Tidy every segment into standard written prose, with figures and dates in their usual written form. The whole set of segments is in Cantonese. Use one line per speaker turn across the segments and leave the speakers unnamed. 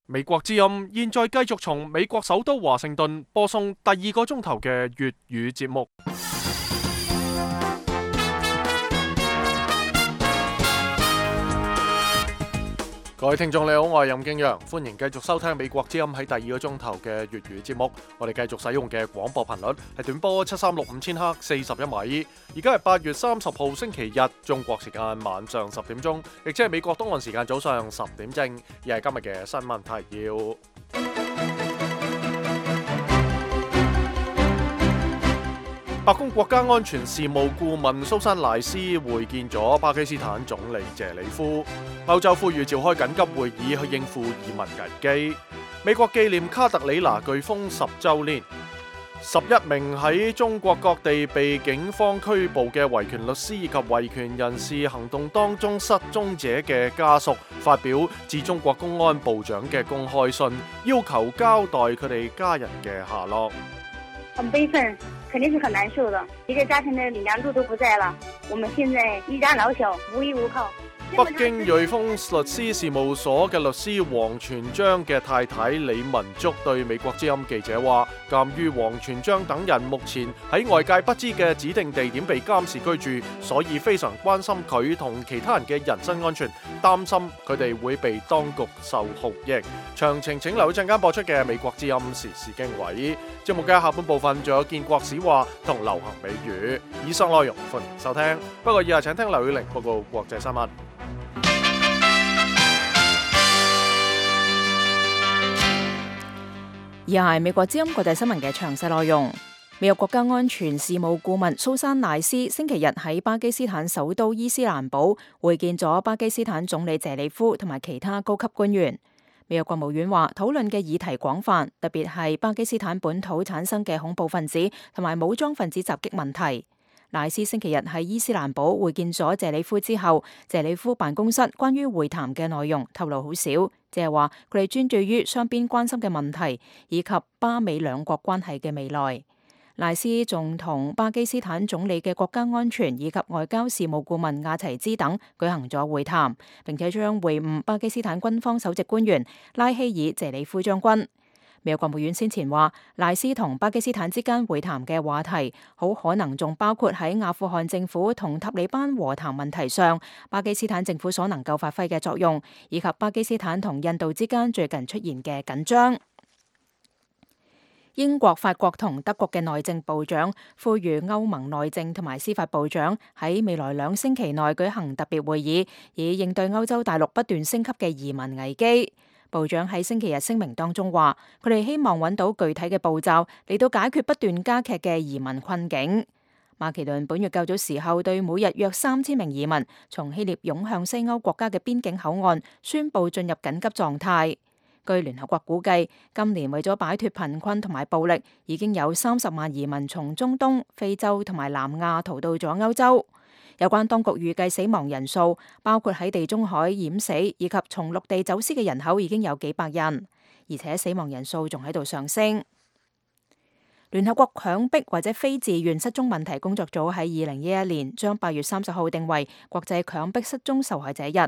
美國之音現在繼續從美國首都華盛頓播送第二個鐘頭嘅粵語節目。各位聽眾你好，我係任敬陽，歡迎繼續收聽美國之音喺第二個鐘頭嘅粵語節目。我哋繼續使用嘅廣播頻率係短波7365000赫41米。而家係8月30號星期日，中國時間晚上10點鐘，亦即係美國東岸時間早上10點正。而係今日嘅新聞提要。白宮國家安全事務顧問蘇珊賴斯會見咗巴基斯坦總理謝里夫。歐洲呼籲召開緊急會議去應付移民危機。美國紀念卡特里娜颶風10週年。11名喺中國各地被警方拘捕嘅維權律師以及維權人士行動當中失蹤者嘅家屬發表致中國公安部長嘅公開信，要求交代佢哋家人嘅下落。
很悲憤，肯定是很難受的。一個家庭的梁柱都不在了，我們現在一家老小，無依無靠。
北京瑞豐律師事務所嘅律師王全璋嘅太太李文竹對美國之音記者話，鑑於王全璋等人目前喺外界不知嘅指定地點被監視居住，所以非常關心佢同其他人嘅人身安全，擔心佢哋會被當局受酷刑。詳情請留意陣間播出嘅美國之音時事經緯。節目嘅下半部分仲有建國史話同流行美語。以上內容歡迎收聽，不過以下請聽劉宇玲報告國際新聞。
以下係美國之音國際新聞嘅詳細內容。美國國家安全事務顧問蘇珊賴斯星期日喺巴基斯坦首都伊斯蘭堡會見咗巴基斯坦總理謝里夫同埋其他高級官員。美國國務院話，討論嘅議題廣泛，特別係巴基斯坦本土產生嘅恐怖分子同埋武裝分子襲擊問題。賴斯星期日喺伊斯蘭堡會見咗謝里夫之後，謝里夫辦公室關於會談嘅內容透露好少，即係話佢哋專注於雙邊關心嘅問題，以及巴美兩國關係嘅未來。賴斯仲同巴基斯坦總理嘅國家安全以及外交事務顧問亞齊茲等舉行咗會談，並且將會晤巴基斯坦軍方首席官員拉希爾謝里夫將軍。美國國務院先前話，賴斯同巴基斯坦之間會談嘅話題，好可能仲包括喺阿富汗政府同塔利班和談問題上，巴基斯坦政府所能夠發揮嘅作用，以及巴基斯坦同印度之間最近出現嘅緊張。英國、法國同德國嘅內政部長呼籲歐盟內政同埋司法部長喺未來2星期內舉行特別會議，以應對歐洲大陸不斷升級嘅移民危機。部長喺星期日聲明當中話，佢哋希望揾到具體嘅步驟嚟到解決不斷加劇嘅移民困境。馬其頓本月較早時候對每日約3000名移民從希臘湧向西歐國家嘅邊境口岸宣布進入緊急狀態。據聯合國估計，今年為咗擺脫貧困同埋暴力，已經有30萬移民從中東、非洲同埋南亞逃到咗歐洲。有關當局預計死亡人數，包括喺地中海淹死以及從陸地走私嘅人口已經有幾百人，而且死亡人數仲喺度上升。聯合國強迫或者非自願失蹤問題工作組喺2011年將8月30號定為國際強迫失蹤受害者日。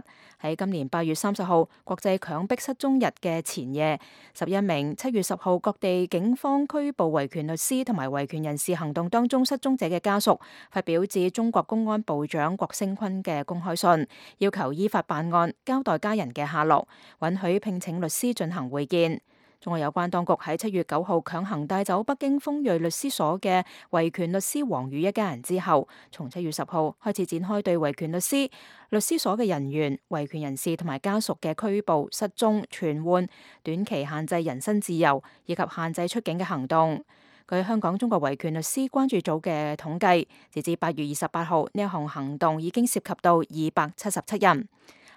喺今年8月30號國際強迫失蹤日嘅前夜，11名7月10號各地警方拘捕維權律師同埋維權人士行動當中失蹤者嘅家屬，發表致中國公安部長郭聲琨嘅公開信，要求依法辦案，交代家人嘅下落，允許聘請律師進行會見。仲有關當局喺7月9號強行帶走北京鋒銳律師所嘅維權律師王宇一家人之後，從7月10號開始展開對維權律師所嘅人員、維權人士同埋家屬嘅拘捕、失蹤、傳喚、短期限制人身自由以及限制出境嘅行動。據香港中國維權律師關注組嘅統計，截至8月28號呢一項行動已經涉及到277人。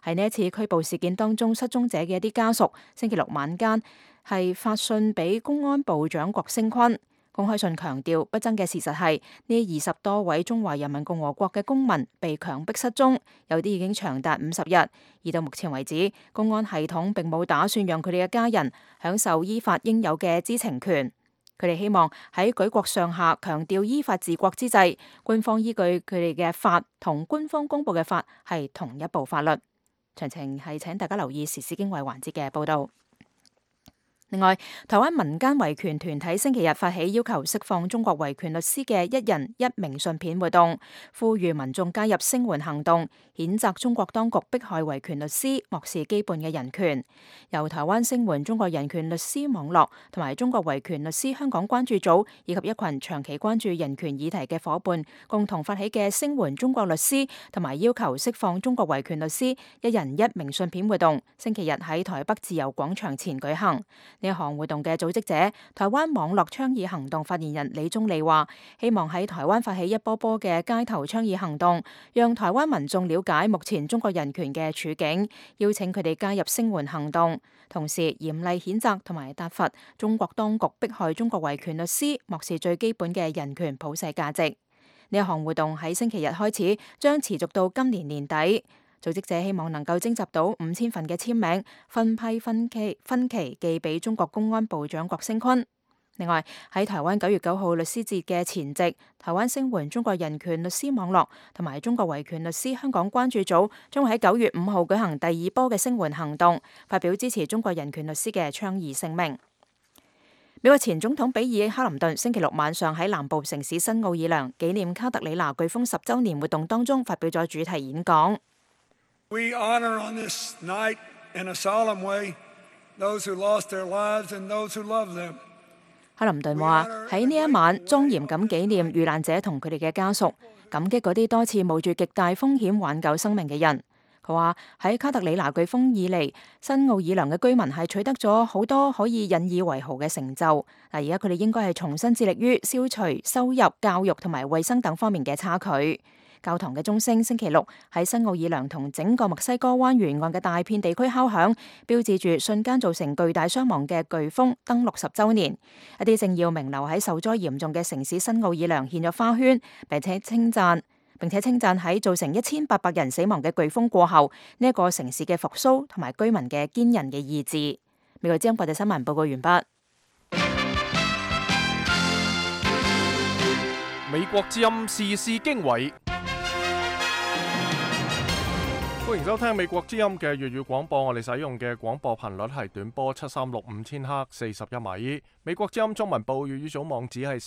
喺呢一次拘捕事件當中失蹤者嘅一啲家屬，星期六晚間係發信俾公安部長郭聲琨。公開信強調，不爭嘅事實係呢20多位中華人民共和國嘅公民被強迫失蹤，有啲已經長達50日。而到目前為止，公安系統並冇打算讓佢哋嘅家人享受依法應有嘅知情權。佢哋希望喺舉國上下強調依法治國之際，官方依據佢哋嘅法同官方公布嘅法係同一部法律。詳情係請大家留意時事經緯環節嘅報導。另外，台灣民間維權團體星期日發起要求釋放中國維權律師嘅一人一名信片活動，呼籲民眾加入聲援行動，譴責中國當局迫害維權律師，漠視基本嘅人權。由台灣聲援中國人權律師網絡同埋中國維權律師香港關注組以及一群長期關注人權議題嘅伙伴共同發起嘅聲援中國律師同埋要求釋放中國維權律師一人一名信片活動，星期日喺台北自由廣場前舉行。呢一項活動嘅組織者，台灣網絡倡議行動發言人李宗利話，希望喺台灣發起一波波嘅街頭倡議行動，讓台灣民眾了解目前中國人權嘅處境，邀請佢哋加入聲援行動，同時嚴厲譴責同埋撻伐中國當局迫害中國維權律師，漠視最基本嘅人權普世價值。呢一項活動喺星期日開始，將持續到今年年底。組織者希望能夠徵集到5000份嘅簽名，分批分期寄俾中國公安部長郭聲琨。另外喺台灣9月9號律師節嘅前夕，台灣聲援中國人權律師網絡同埋中國維權律師香港關注組將會喺9月5號舉行第二波嘅聲援行動，發表支持中國人權律師嘅倡議聲明。美國前總統比爾·克林頓星期六晚上喺南部城市新奧爾良紀念卡特里娜颶風10週年活動當中發表咗主題演講。
We honor on this night in a solemn way those who lost their lives and those who love them.
克林頓話喺呢一晚莊嚴咁紀念遇難者同佢哋嘅家屬，感激嗰啲多次冒住極大風險挽救生命嘅人。佢話喺卡特里娜颶風以嚟，新奧爾良嘅居民係取得咗好多可以引以為豪嘅成就。嗱，而家佢哋應該係重新致力於消除收入、教育同埋衛生等方面嘅差距。教堂嘅鐘聲星期六喺新奧爾良同整個墨西哥灣沿岸嘅大片地區敲響，標誌住瞬間造成巨大傷亡嘅颶風登陸10週年。一啲政要名流喺受災嚴重嘅城市新奧爾良獻咗花圈，並且稱讚喺造成1800人死亡嘅颶風過後，呢一個城市嘅復甦同埋居民嘅堅韌嘅意志。美國之音國際新聞報告完畢。
美國之音時事經緯。歡迎收聽美國之音嘅粵語廣播，我哋使用嘅廣播頻率係短波7365千赫41米。美國之音中文部粵語組網址係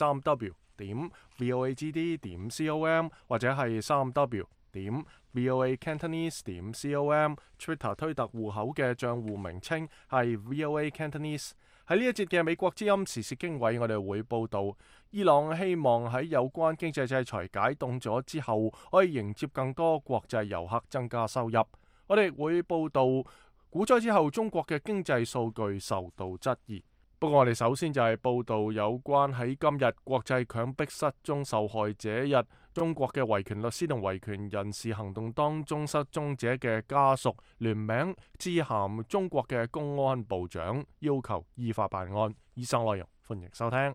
3w.voagd.com 或者係3w.voacantonese.com。 Twitter 推特戶口嘅賬戶名稱係 voacantonese。喺呢一節嘅美國之音時事經緯，我哋會報道伊朗希望喺有關經濟制裁解凍咗之後，可以迎接更多國際遊客，增加收入。我哋會報道股災之後中國嘅經濟數據受到質疑。不過我哋首先就係報道有關喺今日國際強迫失蹤受害者日，中國嘅維權律師同維權人士行動當中失蹤者嘅家屬聯名致函中國嘅公安部長，要求依法辦案。以上內容歡迎收聽。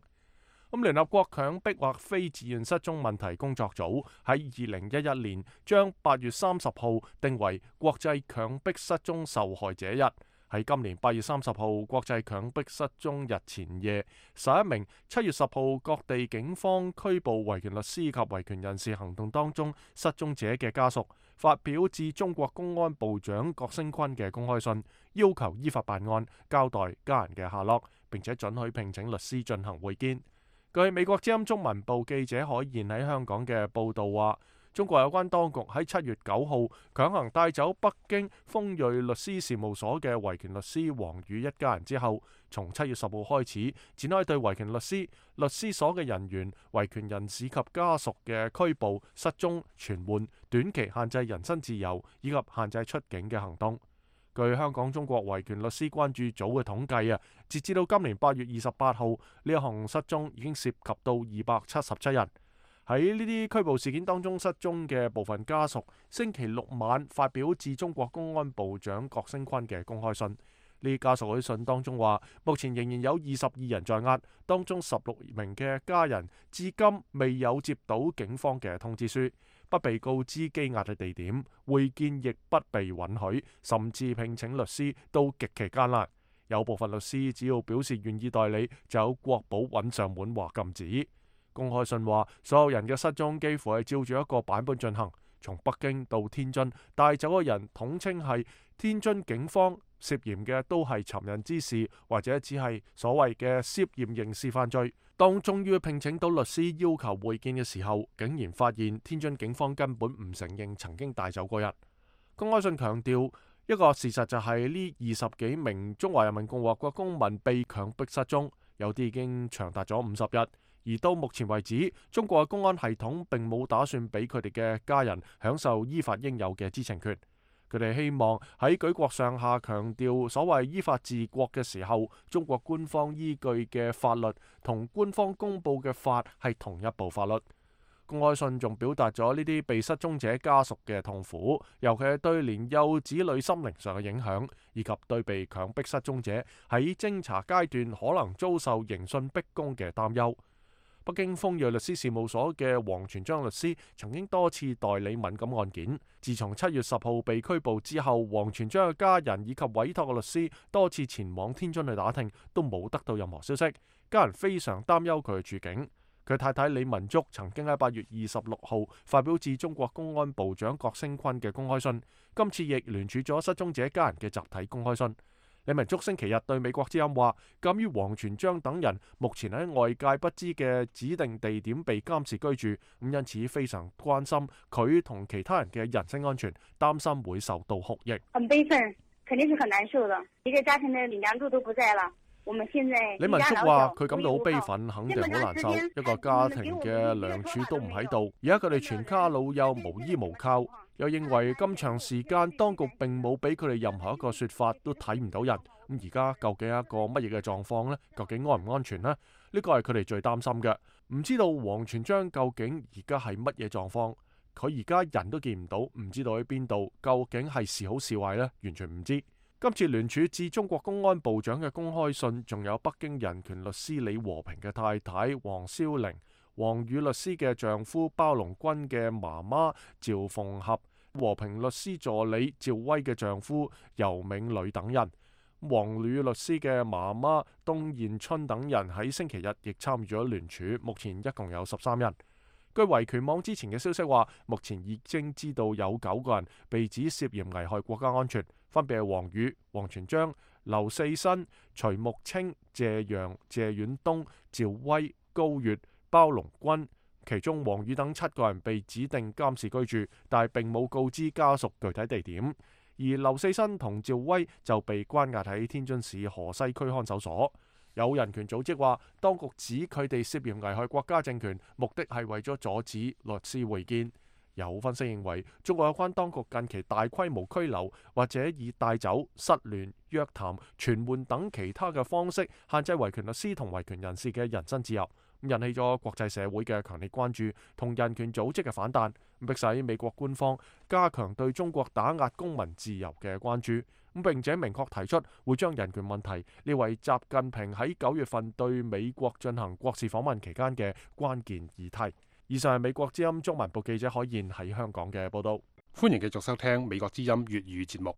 聯合國強迫或非自願失蹤問題工作組喺2011年將8月30號定為國際強迫失蹤受害者日。喺今年8月30號國際強迫失蹤日前夜，11名7月10號各地警方拘捕維權律師及維權人士行動當中失蹤者嘅家屬，發表致中國公安部長郭聲琨嘅公開信，要求依法辦案，交代家人嘅下落，並且准許聘請律師進行會見。據美國之音中文部記者海燕喺香港嘅報道話，中國有關當局喺7月9號強行帶走北京豐瑞律師事務所嘅維權律師王宇一家人之後，從7月10號開始展開對維權律師、律師所嘅人員、維權人士及家屬嘅拘捕、失蹤、傳喚、短期限制人身自由以及限制出境嘅行動。據香港中國維權律師關注組嘅統計截至到今年8月28號，呢一項失蹤已經涉及到277人。喺呢啲拘捕事件當中失蹤嘅部分家屬，星期六晚發表致中國公安部長郭聲琨嘅公開信。呢家屬喺信當中話，目前仍然有22人在押，當中16名嘅家人至今未有接到警方嘅通知書，不被告知羈押嘅地點，會見亦不被允許，甚至聘請律師都極其艱難。有部分律師只要表示願意代理，就有國保揾上門話禁止。公開信話，所有人嘅失蹤幾乎係照住一個版本進行，從北京到天津帶走嘅人統稱係天津警方涉嫌嘅都係尋釁滋事，或者只係所謂嘅涉嫌刑事犯罪。當終於聘請到律師要求會見嘅時候，竟然發現天津警方根本唔承認曾經帶走過人。公開信強調一個事實就係呢20幾名中華人民共和國公民被強迫失蹤，有啲已經長達咗50日。而到目前為止，中國嘅公安系統並冇打算俾佢哋嘅家人享受依法應有嘅知情權。佢哋希望喺舉國上下強調所謂依法治國嘅時候，中國官方依據嘅法律同官方公佈嘅法係同一部法律。公開信仲表達咗呢啲被失蹤者家屬嘅痛苦，尤其係對年幼子女心靈上嘅影響，以及對被強迫失蹤者喺偵查階段可能遭受刑訊逼供嘅擔憂。北京豐銳律師事務所嘅王全璋律師曾經多次代理敏感案件。自從7月10號被拘捕之後，王全璋嘅家人以及委託嘅律師多次前往天津去打聽，都冇得到任何消息。家人非常擔憂佢嘅處境。佢太太李文竹曾經喺8月26號發表致中國公安部長郭聲琨嘅公開信，今次亦聯署咗失蹤者家人嘅集體公開信。李文竹星期日對美國之音話，鑑於王全璋等人目前喺外界不知嘅指定地點被監視居住，因此非常關心佢同其他人嘅人身安全，擔心會受到酷刑。
很悲憤，肯定是很難受的。一個家庭的領梁柱都不在了，我們現在
李文竹話佢感到好悲憤，肯定好難受。一個家庭嘅梁柱都唔喺度，而家佢哋全家老幼無依無靠。又認為咁長時間當局並冇俾佢哋任何一個說法，都睇唔到人。咁而家究竟係一個乜嘢嘅狀況呢？究竟安唔安全呢？呢個係佢哋最擔心嘅。唔知道王全璋究竟而家係乜嘢狀況？佢而家人都見唔到，唔知道喺邊度，究竟係是好是壞呢？完全唔知。今次聯署致中國公安部長嘅公開信，仲有北京人權律師李和平嘅太太王蕭玲、王宇律師嘅丈夫包龍軍嘅媽媽趙鳳合、和平律師助理趙薇嘅丈夫尤銘磊等人，王宇律師嘅媽媽東彥春等人喺星期日亦參與咗聯署，目前一共有13人。據維權網之前嘅消息話，目前已經知道有9個人被指涉嫌危害國家安全，分別係王宇、王全璋、劉四新、徐木清、謝陽、謝遠東、趙薇、高月、包龍軍，其中王宇等7個人被指定監視居住，但係並冇告知家屬具體地點。而劉四新同趙薇就被關押喺天津市河西區看守所。有人權組織話，當局指佢哋涉嫌危害國家政權，目的係為咗阻止律師會見。有分析認為，中國有關當局近期大規模拘留或者以帶走、失聯、約談、傳喚等其他嘅方式限制維權律師同維權人士嘅人身自由，引起咗國際社會嘅強烈關注同人權組織嘅反彈，迫使美國官方加強對中國打壓公民自由嘅關注，並且明確提出會將人權問題列為習近平喺9月份對美國進行國事訪問期間嘅關鍵議題。以上係美國之音中文部記者海燕喺香港嘅報道。
歡迎繼續收聽美國之音粵語節目。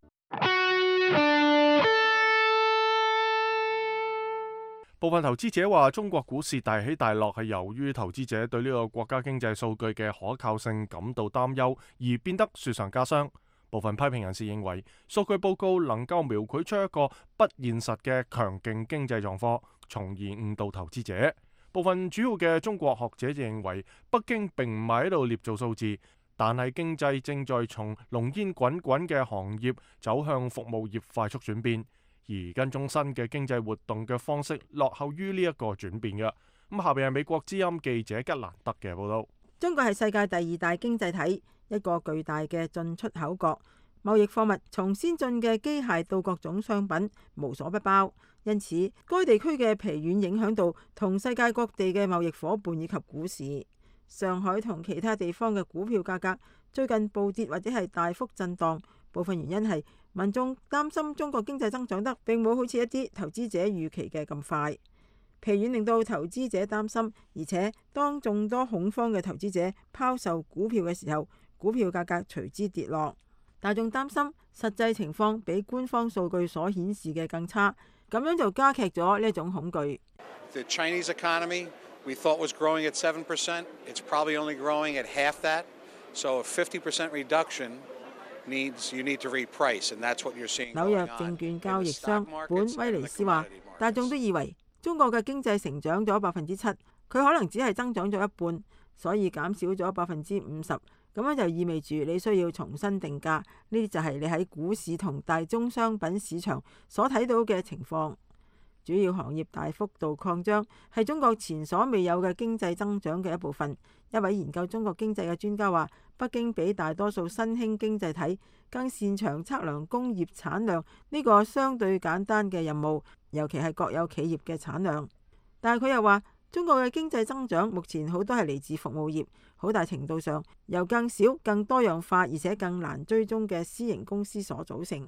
部分投資者話，中國股市大起大落係由於投資者對呢個國家經濟數據嘅可靠性感到擔憂，而變得雪上加霜。部分批評人士認為，數據報告能夠描繪出一個不現實嘅強勁經濟狀況，從而誤導投資者。部分主要嘅中國學者就認為，北京並唔係喺度捏造數字，但係經濟正在從濃煙滾滾嘅行業走向服務業快速轉變，而跟蹤新嘅經濟活動嘅方式落後於呢一個轉變嘅。咁下邊係美國之音記者吉蘭德嘅報道。
中國係世界第2大經濟體，一個巨大嘅進出口國，貿易貨物從先進嘅機械到各種商品無所不包。因此，該地區嘅疲軟影響到同世界各地嘅貿易夥伴以及股市。上海同其他地方嘅股票價格最近暴跌或者係大幅震盪，部分原因係民眾擔心中國經濟增長得並冇好似一啲投資者預期嘅咁快。疲軟令到投資者擔心，而且當眾多恐慌嘅投資者拋售股票嘅時候，股票價格隨之跌落。大眾擔心實際情況比官方數據所顯示嘅更差，咁樣就加劇咗呢一種恐懼。
The Chinese economy we thought was growing at 7%. It's probably only growing at half that. So a 50% reduction you need to reprice, and that's what you're seeing.
紐約證券交易商本威尼斯話，大眾都以為中國嘅經濟成長咗7%，佢可能只係增長咗一半，所以減少咗50%，咁樣就意味住你需要重新定價。呢啲就係你喺股市同大宗商品市場所睇到嘅情況。主要行業大幅度擴張係中國前所未有嘅經濟增長嘅一部分。一位研究中國經濟嘅專家話，北京比大多數新興經濟體更擅長測量工業產量呢個相對簡單嘅任務，尤其係國有企業嘅產量。但係佢又話，中國嘅經濟增長目前好多係嚟自服務業，好大程度上由更少、更多樣化而且更難追蹤嘅私營公司所組成。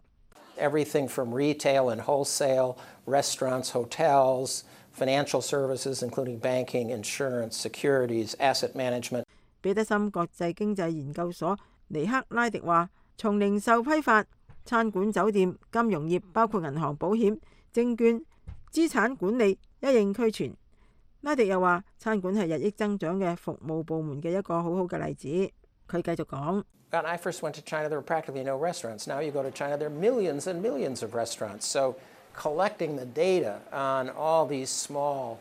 Everything from retail and wholesale, restaurants, hotels, financial services, including banking, insurance, securities, asset management.
彼得森國際經濟研究所尼克拉迪話，從零售批發、餐館、酒店、金融業，包括銀行、保險、證券、資產管理一應俱全。拉迪又話，餐館係日益增長嘅服務部門嘅一個好好嘅例子。佢繼續講。
When I first went to China, there were practically no restaurants. Now you go to China, there are millions and millions of restaurants. So collecting the data on all these small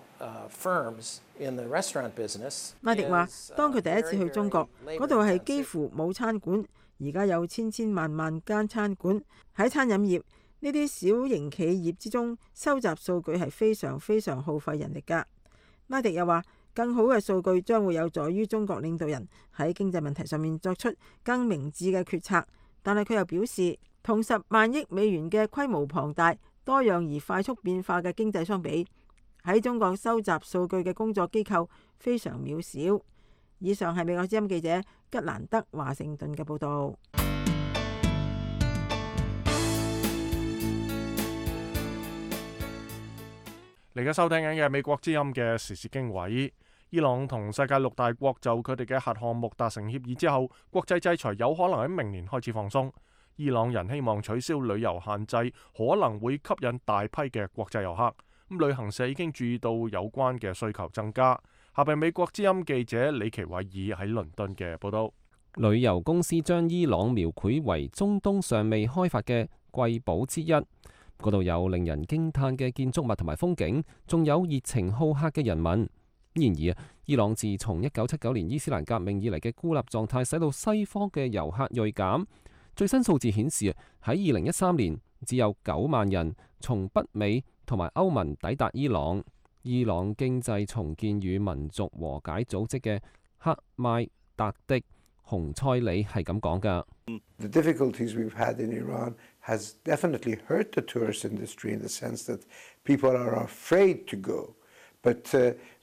firms in the restaurant business.
拉迪話，當佢第一次去中國，嗰度係幾乎冇餐館，而家有千萬萬間餐館。喺餐飲業呢啲小型企業之中，收集數據係非常非常耗費人力㗎。拉迪又話，更好嘅數據將會有助於中國領導人喺經濟問題上面作出更明智嘅決策。但係佢又表示，同10萬億美元嘅規模龐大、多樣而快速變化嘅經濟相比，喺中國收集數據嘅工作機構非常渺小。以上係美國之音記者吉蘭德華盛頓嘅報導。
嚟緊收聽緊嘅美國之音嘅時事經緯，伊朗同世界6大國就佢哋嘅核項目達成協議之後，國際制裁有可能喺明年開始放鬆。伊朗人希望取消旅遊限制，可能會吸引大批嘅國際遊客。旅行社已經注意到有關嘅需求增加。下邊美國之音記者李奇偉爾喺倫敦嘅報道。
旅遊公司將伊朗描繪為中東尚未開發嘅瑰寶之一。嗰度有令人驚嘆嘅建築物同埋風景，仲有熱情好客嘅人民。然而伊朗自從1979年伊斯蘭革命以嚟嘅孤立狀態，使到西方嘅遊客銳減。最新數字顯示，喺2013年只有9萬人從北美同埋歐盟抵達伊朗。伊朗經濟重建與民族和解組織嘅克邁達迪洪塞里係咁講㗎。
The difficulties we've had in Iran has definitely hurt the tourist industry in the sense that people are afraid to go. But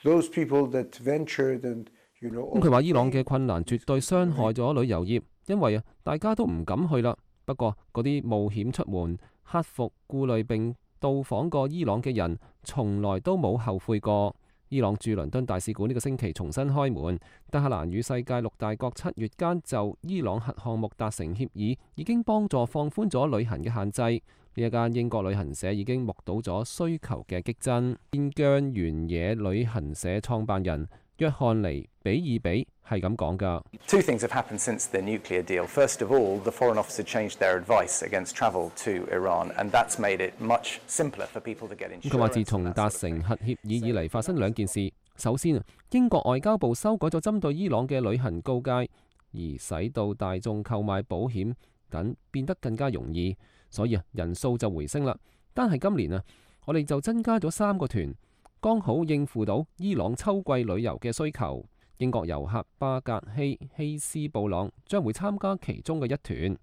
those people that ventured and佢
話伊朗嘅困難絕對傷害咗旅遊業，因為大家都唔敢去啦。不過嗰啲冒險出門、克服顧慮並到訪過伊朗嘅人，從來都冇後悔過。伊朗駐倫敦大使館呢個星期重新開門，德黑蘭與世界6大國7月間就伊朗核項目達成協議，已經幫助放寬咗旅行嘅限制。呢一間英國旅行社已經目睹咗需求嘅激增。邊疆原野旅行社創辦人約翰尼比爾比係咁講㗎。
Two things have happened since the nuclear deal. First of all, the Foreign Office changed their advice against travel to Iran, and that's made it much simpler for people to get insurance.
佢話自從達成核協議以嚟，發生2件事。首先英國外交部修改咗針對伊朗嘅旅行告誡，而使到大眾購買保險等變得更加容易，所以人數就回升啦。單係今年我哋就增加咗3個團，剛好應付到伊朗秋季旅遊嘅需求。英國遊客巴格希斯布朗將會參加其中嘅一團。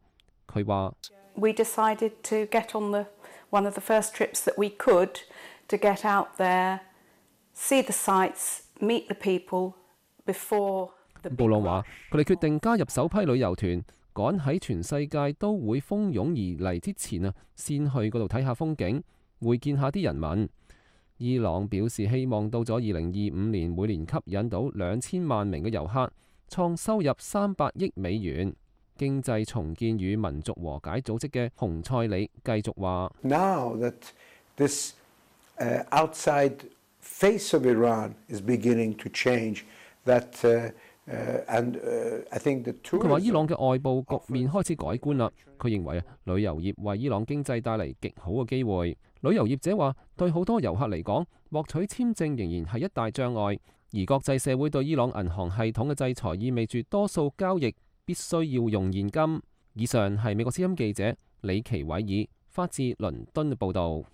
佢話
We decided to get on one of the first trips that we could to get out there, see the sights, meet the people before the big rush。布朗話佢哋決定加入首批旅遊團，趕喺全世界都會蜂擁而嚟之前先去嗰度睇下風景，會見下啲人民。伊朗表示希望到咗2025年，每年吸引到2000萬名嘅遊客，創收入300億美元。經濟重建與民族和解組織嘅洪塞里繼續話
：Now that this outside face of Iran is beginning to change, that
佢話伊朗嘅外部局面開始改觀啦。佢認為旅遊業為伊朗經濟帶嚟極好嘅機會。旅遊業者話，對好多遊客嚟講，獲取簽證仍然係一大障礙。而國際社會對伊朗銀行系統嘅制裁意味住多數交易必須要用現金。以上係美國之音記者李奇偉爾發自倫敦嘅報導。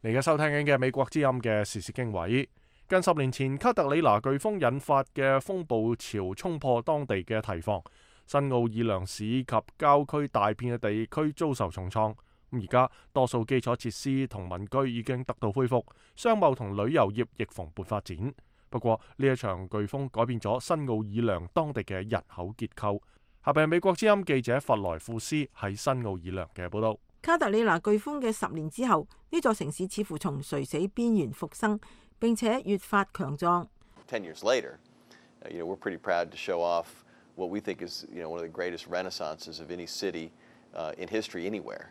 你而家收聽緊嘅美國之音嘅時事經緯。近10年前卡特里娜颶風引發嘅風暴潮衝破當地嘅堤防，新奧爾良市及郊區大片嘅地區遭受重創。而家多數基礎設施同民居已經得到恢復，商貿同旅遊業亦蓬勃發展。不過呢一場颶風改變咗新奧爾良當地嘅人口結構。下邊係美國之音記者弗萊庫斯喺新奧爾良嘅報道。
卡特里娜颶風嘅10年之後，呢座城市似乎從垂死邊緣復生，並且越發強壯。
10 years later, we're pretty proud to show off what we think is, one of the greatest renaissances of any city in history anywhere.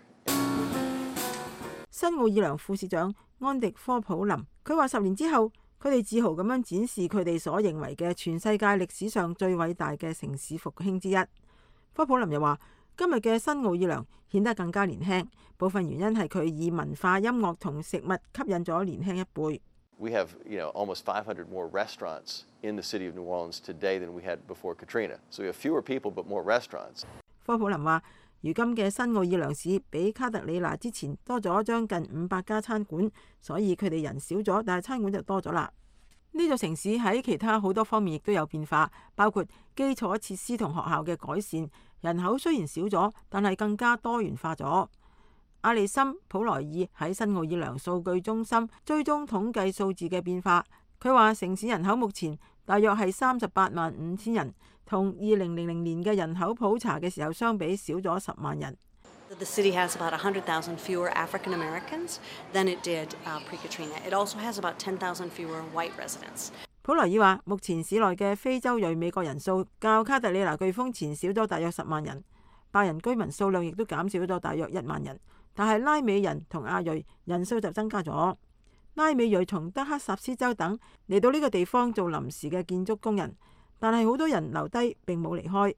新奧爾良副市長安迪科普林，佢話10年之後，佢哋自豪咁樣展示佢哋所認為嘅全世界歷史上最偉大嘅城市復興之一。科普林又話，今日嘅新奧爾良顯得更加年輕，部分原因係佢以文化、音樂同食物吸引咗年輕一輩。
We have, almost 500 more restaurants in the city of New Orleans today than we had before Katrina. So we have fewer people but more restaurants.
科普林話，如今嘅新奧爾良市比卡特里娜之前多咗將近500家餐館，所以佢哋人少咗，但係餐館就多咗啦。呢座城市喺其他好多方面亦都有變化，包括基礎設施同學校嘅改善。人口雖然少咗，但係更加多元化咗。阿里森普萊爾喺新奧爾良數據中心追蹤統計數字嘅變化。佢話城市人口目前大約係38.5萬人，同2000年嘅人口普查嘅時候相比少咗10萬人。
The city has about 100,000 fewer African Americans than it did pre-Katrina. It also has about 10,000 fewer white residents.
普萊爾話，目前市內嘅非洲裔美國人數較卡特里娜颶風前少咗大約10萬人，白人居民數量亦都減少咗大約1萬人，但係拉美人同亞裔人數就增加咗。拉美裔從德克薩斯州等嚟到呢個地方做臨時嘅建築工人，但係好多人留低並冇離開。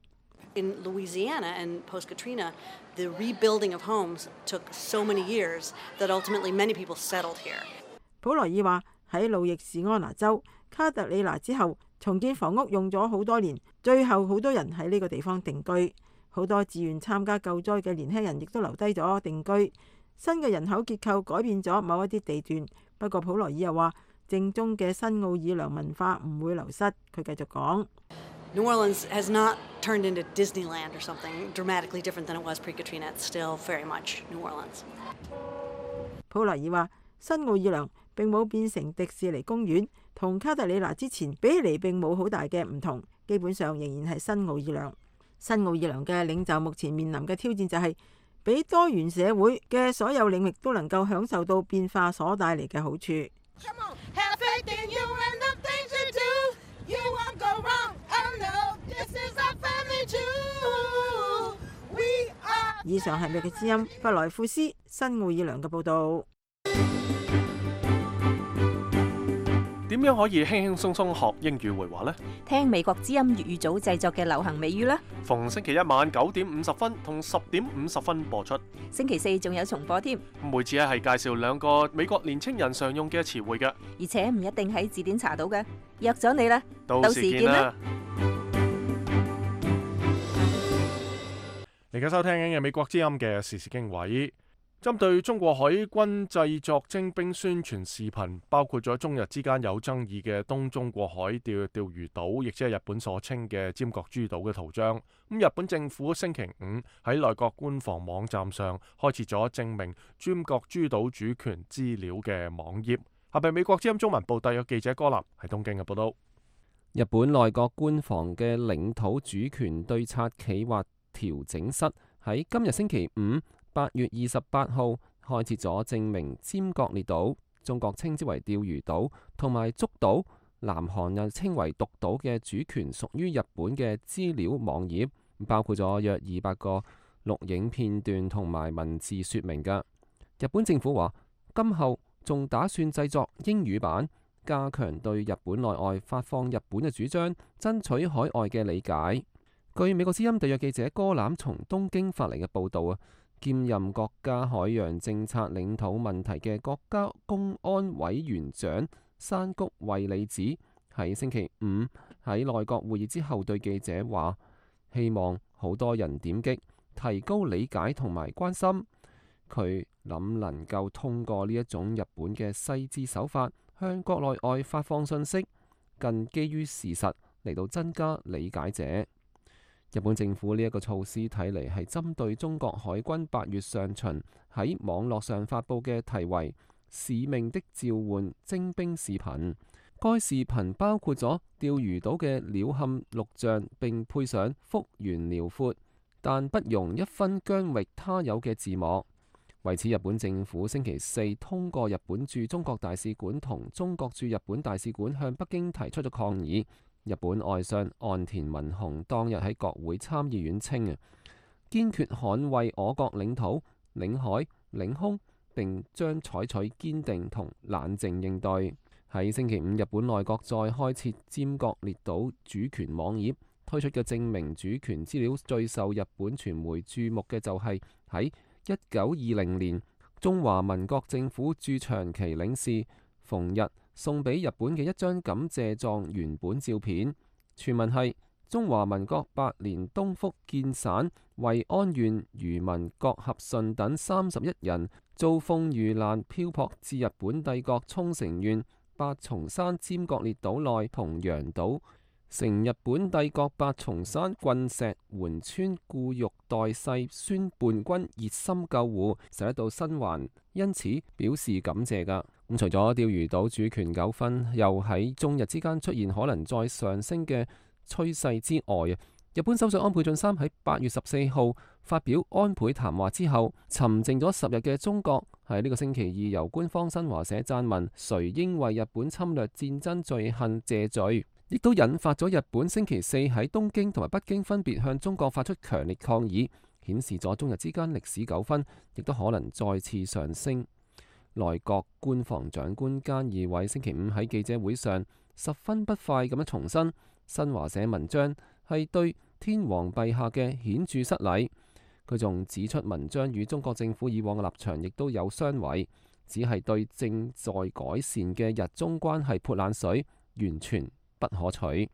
In Louisiana and post-Katrina, the rebuilding of homes took so many years that ultimately many people settled here.
普萊爾話喺路易士安那州卡特里娜之後，重建房屋用咗好多年，最後好多人喺呢個地方定居。好多自願參加救災嘅年輕人亦都留低咗定居。新嘅人口結構改變咗某一啲地段，不過普萊爾又話正宗嘅新奧爾良文化唔會流失。佢繼續講。
New Orleans has not turned into Disneyland or something dramatically different than it was pre-Katrina. It's still very much New Orleans.
普萊爾話：新奧爾良並冇變成迪士尼公園，同卡特里娜之前比起嚟並冇好大嘅唔同，基本上仍然係新奧爾良。新奧爾良嘅領袖目前面臨嘅挑戰就係俾多元社會嘅所有領域都能夠享受到變化所帶嚟嘅好處。以上係美國之音弗萊庫斯新奧爾良嘅報導。
點樣可以輕輕鬆鬆學英語會話呢？
聽美國之音粵語組製作嘅流行美語啦。
逢星期一晚9:50同10:50播出。
星期四仲有重播添。
每次係介紹2個美國年青人常用嘅詞彙嘅，
而且唔一定喺字典查到嘅。約咗你啦，
到時見啦。你而家收聽緊嘅美國之音嘅時事經緯，針對中國海軍製作徵兵宣傳視頻，包括咗中日之間有爭議嘅東中國海釣魚島，亦即係日本所稱嘅尖閣諸島嘅圖章。日本政府星期五喺內閣官方網站上開設咗證明尖閣諸島主權資料嘅網頁。下邊美國之音中文部特約記者柯南喺東京嘅報道。
日本內閣官房嘅領土主權對策企劃調整室喺今日星期五8月28號開設咗證明尖閣列島，中國稱之為釣魚島，同埋竹島，南韓又稱為獨島嘅主權屬於日本嘅資料網頁，包括咗約200個錄影片段同埋文字說明㗎。日本政府話，今後仲打算製作英語版，加強對日本內外發放日本嘅主張，爭取海外嘅理解。據美國之音特約記者哥欖從東京發嚟嘅報導兼任國家海洋政策領土問題嘅國家公安委員長山谷惠里子喺星期五喺內閣會議之後對記者話，希望好多人點擊，提高理解同埋關心。佢能夠通過呢一種日本嘅細緻手法，向國內外發放信息，更基於事實嚟到增加理解者。日本政府呢一個措施睇嚟係針對中國海軍8月上旬喺網絡上發布嘅題為《使命的召喚》徵兵視頻。該視頻包括咗釣魚島嘅鳥瞰錄像，並配上幅員遼闊但不容一分疆域他有嘅字幕。為此，日本政府星期四通過日本駐中國大使館同中國駐日本大使館向北京提出咗抗議。日本外相岸田文雄當日喺國會參議院稱堅決捍衛我國領土、領海、領空，並將採取堅定同冷靜應對。喺星期五，日本內閣再開設尖閣列島主權網頁，推出嘅證明主權資料最受日本傳媒注目嘅就係喺1920年中華民國政府駐長期領事馮日送俾日本嘅一張感謝狀原本照片，傳聞係中華民國8年東福建省惠安縣漁民郭合順等31人遭風遇難，漂泊至日本帝國沖繩縣八重山尖閣列島內同洋島，成日本帝國八重山郡石垣村固玉代世孫伴君熱心救護，使得到生還，因此表示感謝㗎。咁除咗釣魚島主權糾紛又喺中日之間出現可能再上升嘅趨勢之外，日本首相安倍晉三喺8月14號發表安倍談話之後，沉靜咗10日嘅中國喺呢個星期二由官方新華社撰文，誰應為日本侵略戰爭罪行謝罪，亦都引發咗日本星期四喺東京同埋北京分別向中國發出強烈抗議，顯示咗中日之間歷史糾紛亦都可能再次上升。內閣官房長官菅義偉星期五喺記者會上十分不快咁樣重申，新華社文章係對天皇陛下嘅顯著失禮。佢仲指出，文章與中國政府以往嘅立場亦都有相違，只係對正在改善嘅日中關係潑冷水，完全不可取。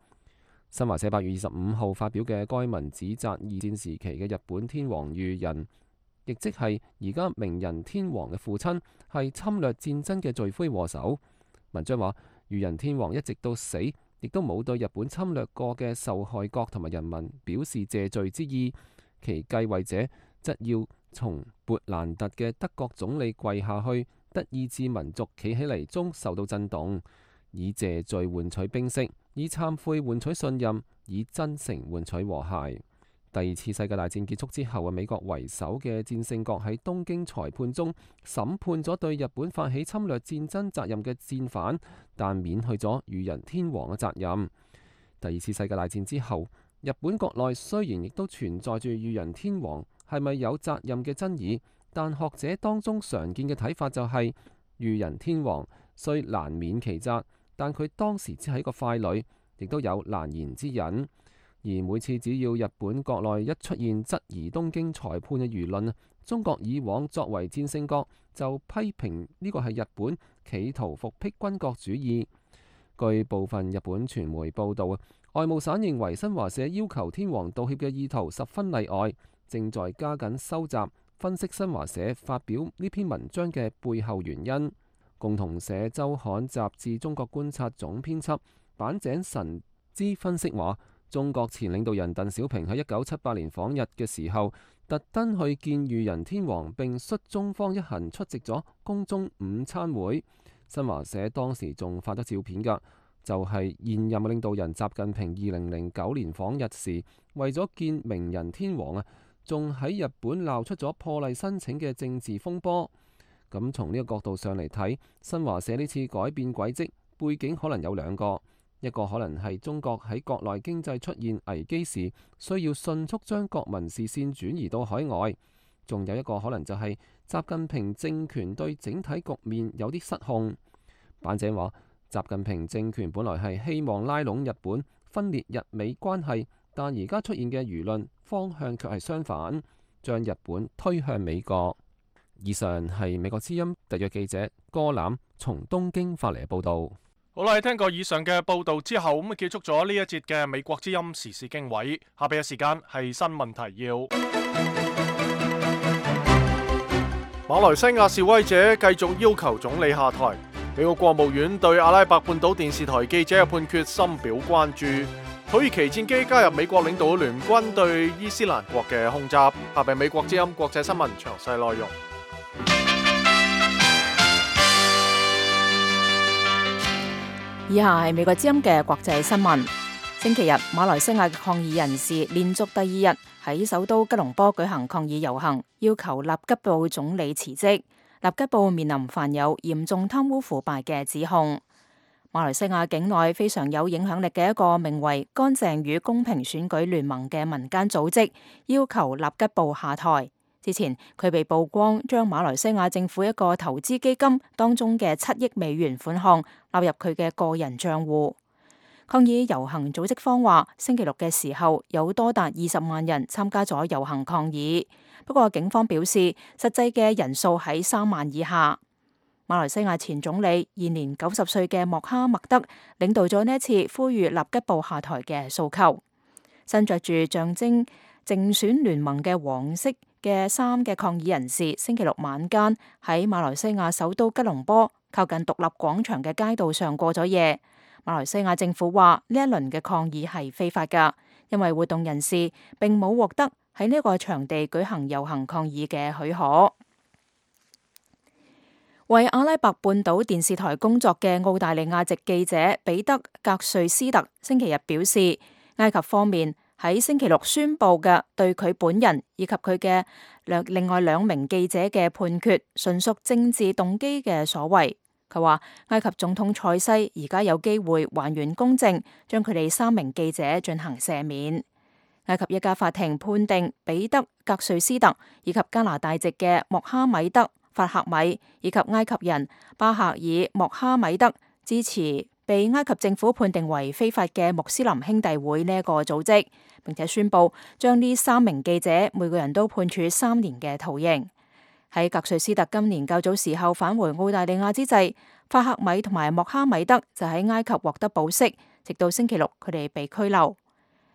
新華社8月25號發表嘅該文指責二戰時期嘅日本天皇裕仁，亦即係而家明仁天皇嘅父親，係侵略戰爭嘅罪魁禍首。文章話，裕仁天皇一直到死，亦都冇對日本侵略過嘅受害國同埋人民表示謝罪之意，其繼位者則要從勃蘭特嘅德國總理跪下去，德意志民族企起嚟中受到震動，以謝罪換取冰釋，以懺悔換取信任，以真誠換取和諧。第二次世界大戰結束之後，美國為首嘅戰勝國喺東京裁判中審判咗對日本發起侵略戰爭責任嘅戰犯，但免去咗裕仁天皇嘅責任。第二次世界大戰之後，日本國內雖然亦都存在住裕仁天皇係咪有責任嘅爭議，但學者當中常見嘅睇法就係裕仁天皇雖難免其責，但佢當時只係一個傀儡，亦都有難言之隱。而每次只要日本國內一出現質疑東京裁判嘅輿論，中國以往作為戰勝國就批評呢個係日本企圖復辟軍國主義。據部分日本傳媒報道，外務省認為新華社要求天皇道歉嘅意圖十分例外，正在加緊收集分析新華社發表呢篇文章嘅背後原因。共同社週刊雜誌中國觀察總編輯坂井神之分析話，中國前領導人鄧小平喺1978年訪日嘅時候，特登去見裕仁天皇，並率中方一行出席咗宮中午餐會。新華社當時仲發咗照片㗎，就係現任領導人習近平2009年訪日時，為咗見明仁天皇仲喺日本鬧出咗破例申請嘅政治風波。咁從呢個角度上嚟睇，新華社呢次改變軌跡背景可能有兩個。一個可能係中國喺國內經濟出現危機時，需要迅速將國民視線轉移到海外；仲有一個可能就係習近平政權對整體局面有啲失控。板井話，習近平政權本來係希望拉攏日本，分裂日美關係，但而家出現嘅輿論方向卻係相反，將日本推向美國。以上係美國之音特約記者柯攬從東京發嚟嘅報導。
好啦，聽過以上嘅報導之後，咁結束咗呢一節嘅美國之音時事經緯。下邊嘅時間係新聞提要。馬來西亞示威者繼續要求總理下台。美國國務院對阿拉伯半島電視台記者嘅判決深表關注。土耳其戰機加入美國領導聯軍對伊斯蘭國嘅空襲。下邊美國之音國際新聞詳細內容。
以下係美國之音嘅國際新聞。星期日，馬來西亞嘅抗議人士連續第二日喺首都吉隆坡舉行抗議遊行，要求納吉布總理辭職。納吉布面臨犯有嚴重貪污腐敗嘅指控。馬來西亞境內非常有影響力嘅一個名為乾淨與公平選舉聯盟嘅民間組織，要求納吉布下台。之前佢被曝光將馬來西亞政府一個投資基金當中嘅7億美元款項納入佢嘅個人賬戶。抗議遊行組織方話，星期六嘅時候有多達20萬人參加咗遊行抗議，不過警方表示實際嘅人數喺3萬以下。馬來西亞前總理現年90歲嘅莫哈默德領導咗呢一次呼籲納吉布下台嘅訴求。身着住象徵競選聯盟嘅黃色嘅衫嘅抗議人士，星期六晚間喺馬來西亞首都吉隆坡靠近獨立廣場嘅街道上過咗夜。馬來西亞政府話呢一輪嘅抗議係非法㗎，因為活動人士並冇獲得喺呢個場地舉行遊行抗議嘅許可。為阿拉伯半島電視台工作嘅澳大利亞籍記者彼得格瑞斯特星期日表示，埃及方面喺星期六宣布嘅對佢本人以及佢嘅另外2名記者嘅判決，純屬政治動機嘅所為。佢話埃及總統塞西而家有機會還原公正，將佢哋3名記者進行赦免。埃及一家法庭判定彼得格瑞斯特以及加拿大籍嘅莫哈米德法赫米以及埃及人巴赫爾莫哈米德支持被埃及政府判定為非法嘅穆斯林兄弟會呢一個組織，並且宣布將呢3名記者每個人都判處3年嘅徒刑。喺格瑞斯特今年較早時候返回澳大利亞之際，法赫米同埋莫哈米德就喺埃及獲得保釋，直到星期六佢哋被拘留。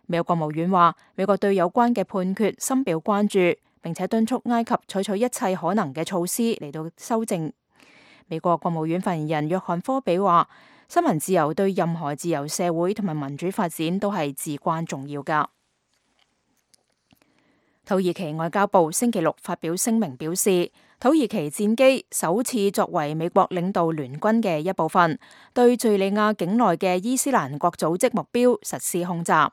美國國務院話，美國對有關嘅判決深表關注，並且敦促埃及採取一切可能嘅措施嚟到修正。美國國務院發言人約翰科比話，新聞自由對任何自由社會同埋民主發展都係至關重要㗎。土耳其外交部星期六發表聲明表示，土耳其戰機首次作為美國領導聯軍嘅一部分，對敘利亞境內嘅伊斯蘭國組織目標實施空襲。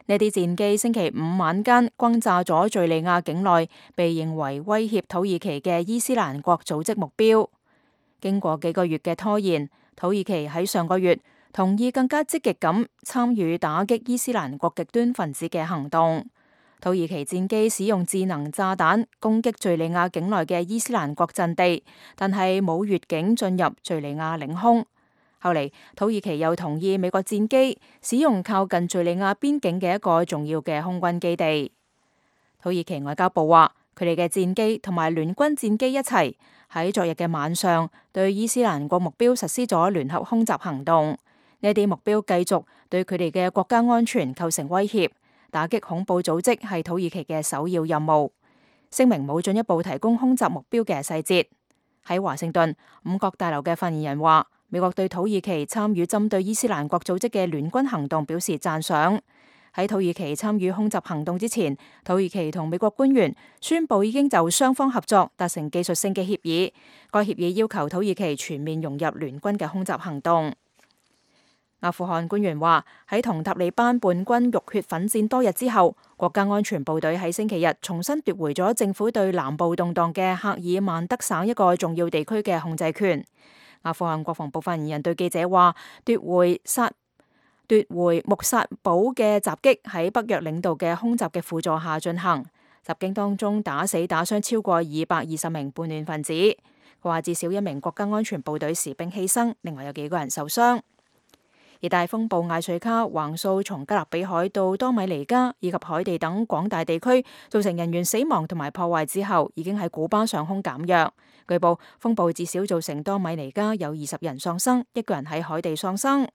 呢啲戰機星期五晚間轟炸咗敘利亞境內被認為威脅土耳其嘅伊斯蘭國組織目標。經過幾個月嘅拖延，土耳其喺上個月同意更加積極咁參與打擊伊斯蘭國極端分子嘅行動。土耳其戰機使用智能炸彈攻擊敘利亞境內嘅伊斯蘭國陣地，但係冇越境進入敘利亞領空。後嚟土耳其又同意美國戰機使用靠近敘利亞邊境嘅一個重要嘅空軍基地。土耳其外交部話，佢哋嘅戰機同埋聯軍戰機一齊喺昨日嘅晚上對伊斯蘭國目標實施咗聯合空襲行動。呢啲目標繼續對佢哋嘅國家安全構成威脅。打擊恐怖組織係土耳其嘅首要任務。聲明冇進一步提供空襲目標嘅細節。喺華盛頓，五角大樓嘅發言人話，美國對土耳其參與針對伊斯蘭國組織嘅聯軍行動表示讚賞。喺土耳其參與空襲行動之前，土耳其同美國官員宣布已經就雙方合作達成技術性嘅協議。該協議要求土耳其全面融入聯軍嘅空襲行動。阿富汗官員話，喺同塔利班叛軍浴血奮戰多日之後，國家安全部隊喺星期日重新奪回咗政府對南部動盪嘅赫爾曼德省一個重要地區嘅控制權。阿富汗國防部發言人對記者話，奪回穆薩堡嘅襲擊喺北約領導嘅空襲嘅輔助下進行。襲警當中打死打傷超過220名叛亂分子。佢話至少1名國家安全部隊士兵犧牲，另外有幾個人受傷。熱帶風暴艾瑞卡橫掃從加勒比海到多米尼加以及海地等廣大地區，造成人員死亡同埋破壞之後，已經喺古巴上空減弱。據報，風暴至少造成多米尼加有20人喪生，1個人喺海地喪生。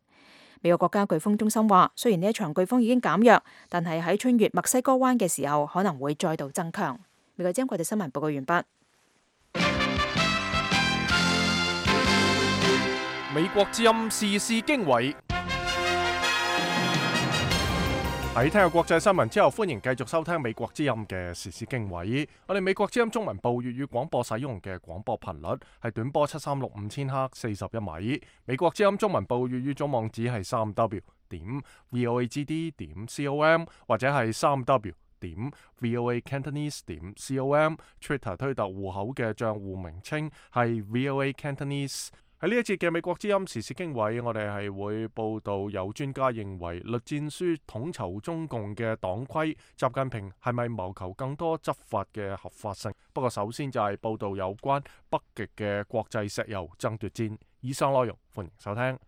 美國國家颶風中心話，雖然呢一場颶風已經減弱，但係喺穿越墨西哥灣嘅時候可能會再度增強。美國之音國際新聞報告完畢。
美國之音時事經緯。喺聽過國際新聞之後，歡迎繼續收聽美國之音嘅時事經緯。我哋美國之音中文部粵語廣播使用嘅廣播頻率係短波736 5000赫41米。美國之音中文部粵語總網址係3w.voagd.com 或者係3w.voacantonese.com。Twitter 推特戶口嘅賬戶名稱係 VOA Cantonese。喺呢一節嘅美國之音時事經緯，我哋係會報道有專家認為栗戰書統籌中共嘅黨規，習近平係咪謀求更多執法嘅合法性？不過首先就係報道有關北極嘅國際石油爭奪戰。以上內容歡迎收聽。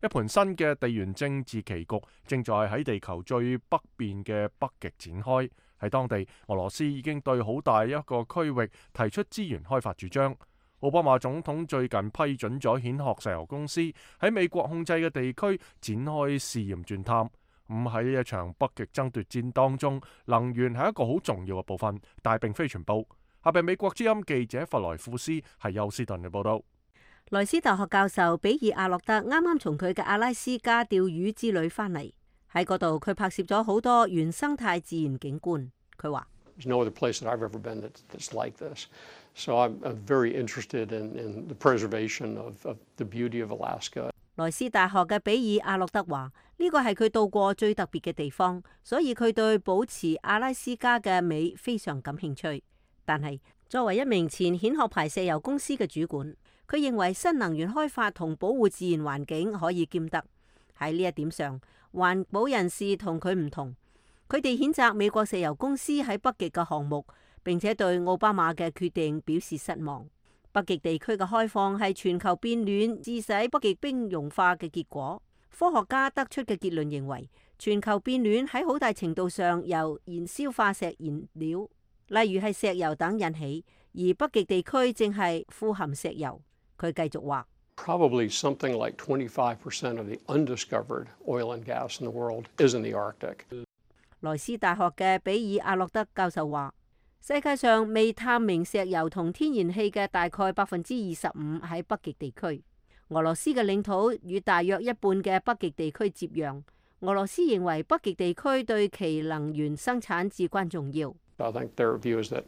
一盤新嘅地緣政治棋局正在喺地球最北邊嘅北極展開。喺當地，俄羅斯已經對好大一個區域提出資源開發主張。奧巴馬總統最近批准咗蜆殼石油公司喺美國控制嘅地區展開試驗鑽探。喺一場北極爭奪戰當中，能源係一個好重要嘅部分，但係並非全部。下邊美國之音記者弗萊庫斯係休斯頓嘅報道。
萊斯大學教授比爾阿洛特啱啱從佢嘅阿拉斯加釣魚之旅翻嚟，喺嗰度佢拍攝咗好多原生態自然景觀。佢話
：There's no other place that I've ever been that's like this. So I'm very interested in the preservation of the beauty of Alaska.
萊斯大學嘅比爾阿洛特話：呢個係佢到過最特別嘅地方，所以佢對保持阿拉斯加嘅美非常感興趣。但係作為一名前蜆殼牌石油公司嘅主管，佢認為新能源開發同保護自然環境可以兼得。喺呢一點上，環保人士同佢唔同，佢哋譴責美國石油公司喺北極嘅項目，並且對奧巴馬嘅決定表示失望。北極地區嘅開放係全球變暖致使北極冰融化嘅結果。科學家得出嘅結論認為，全球變暖喺好大程度上由燃燒化石燃料，例如係石油等引起，而北極地區正係富含石油。佢繼續話
：Probably something like 25% of the undiscovered oil and gas in the world is in the Arctic.
萊斯大學嘅比爾阿洛德教授話：世界上未探明石油同天然氣嘅大概25%喺北極地區。俄羅斯嘅領土與大約一半嘅北極地區接壤。俄羅斯認為北極地區對其能源生產至關重要。
I think their view is that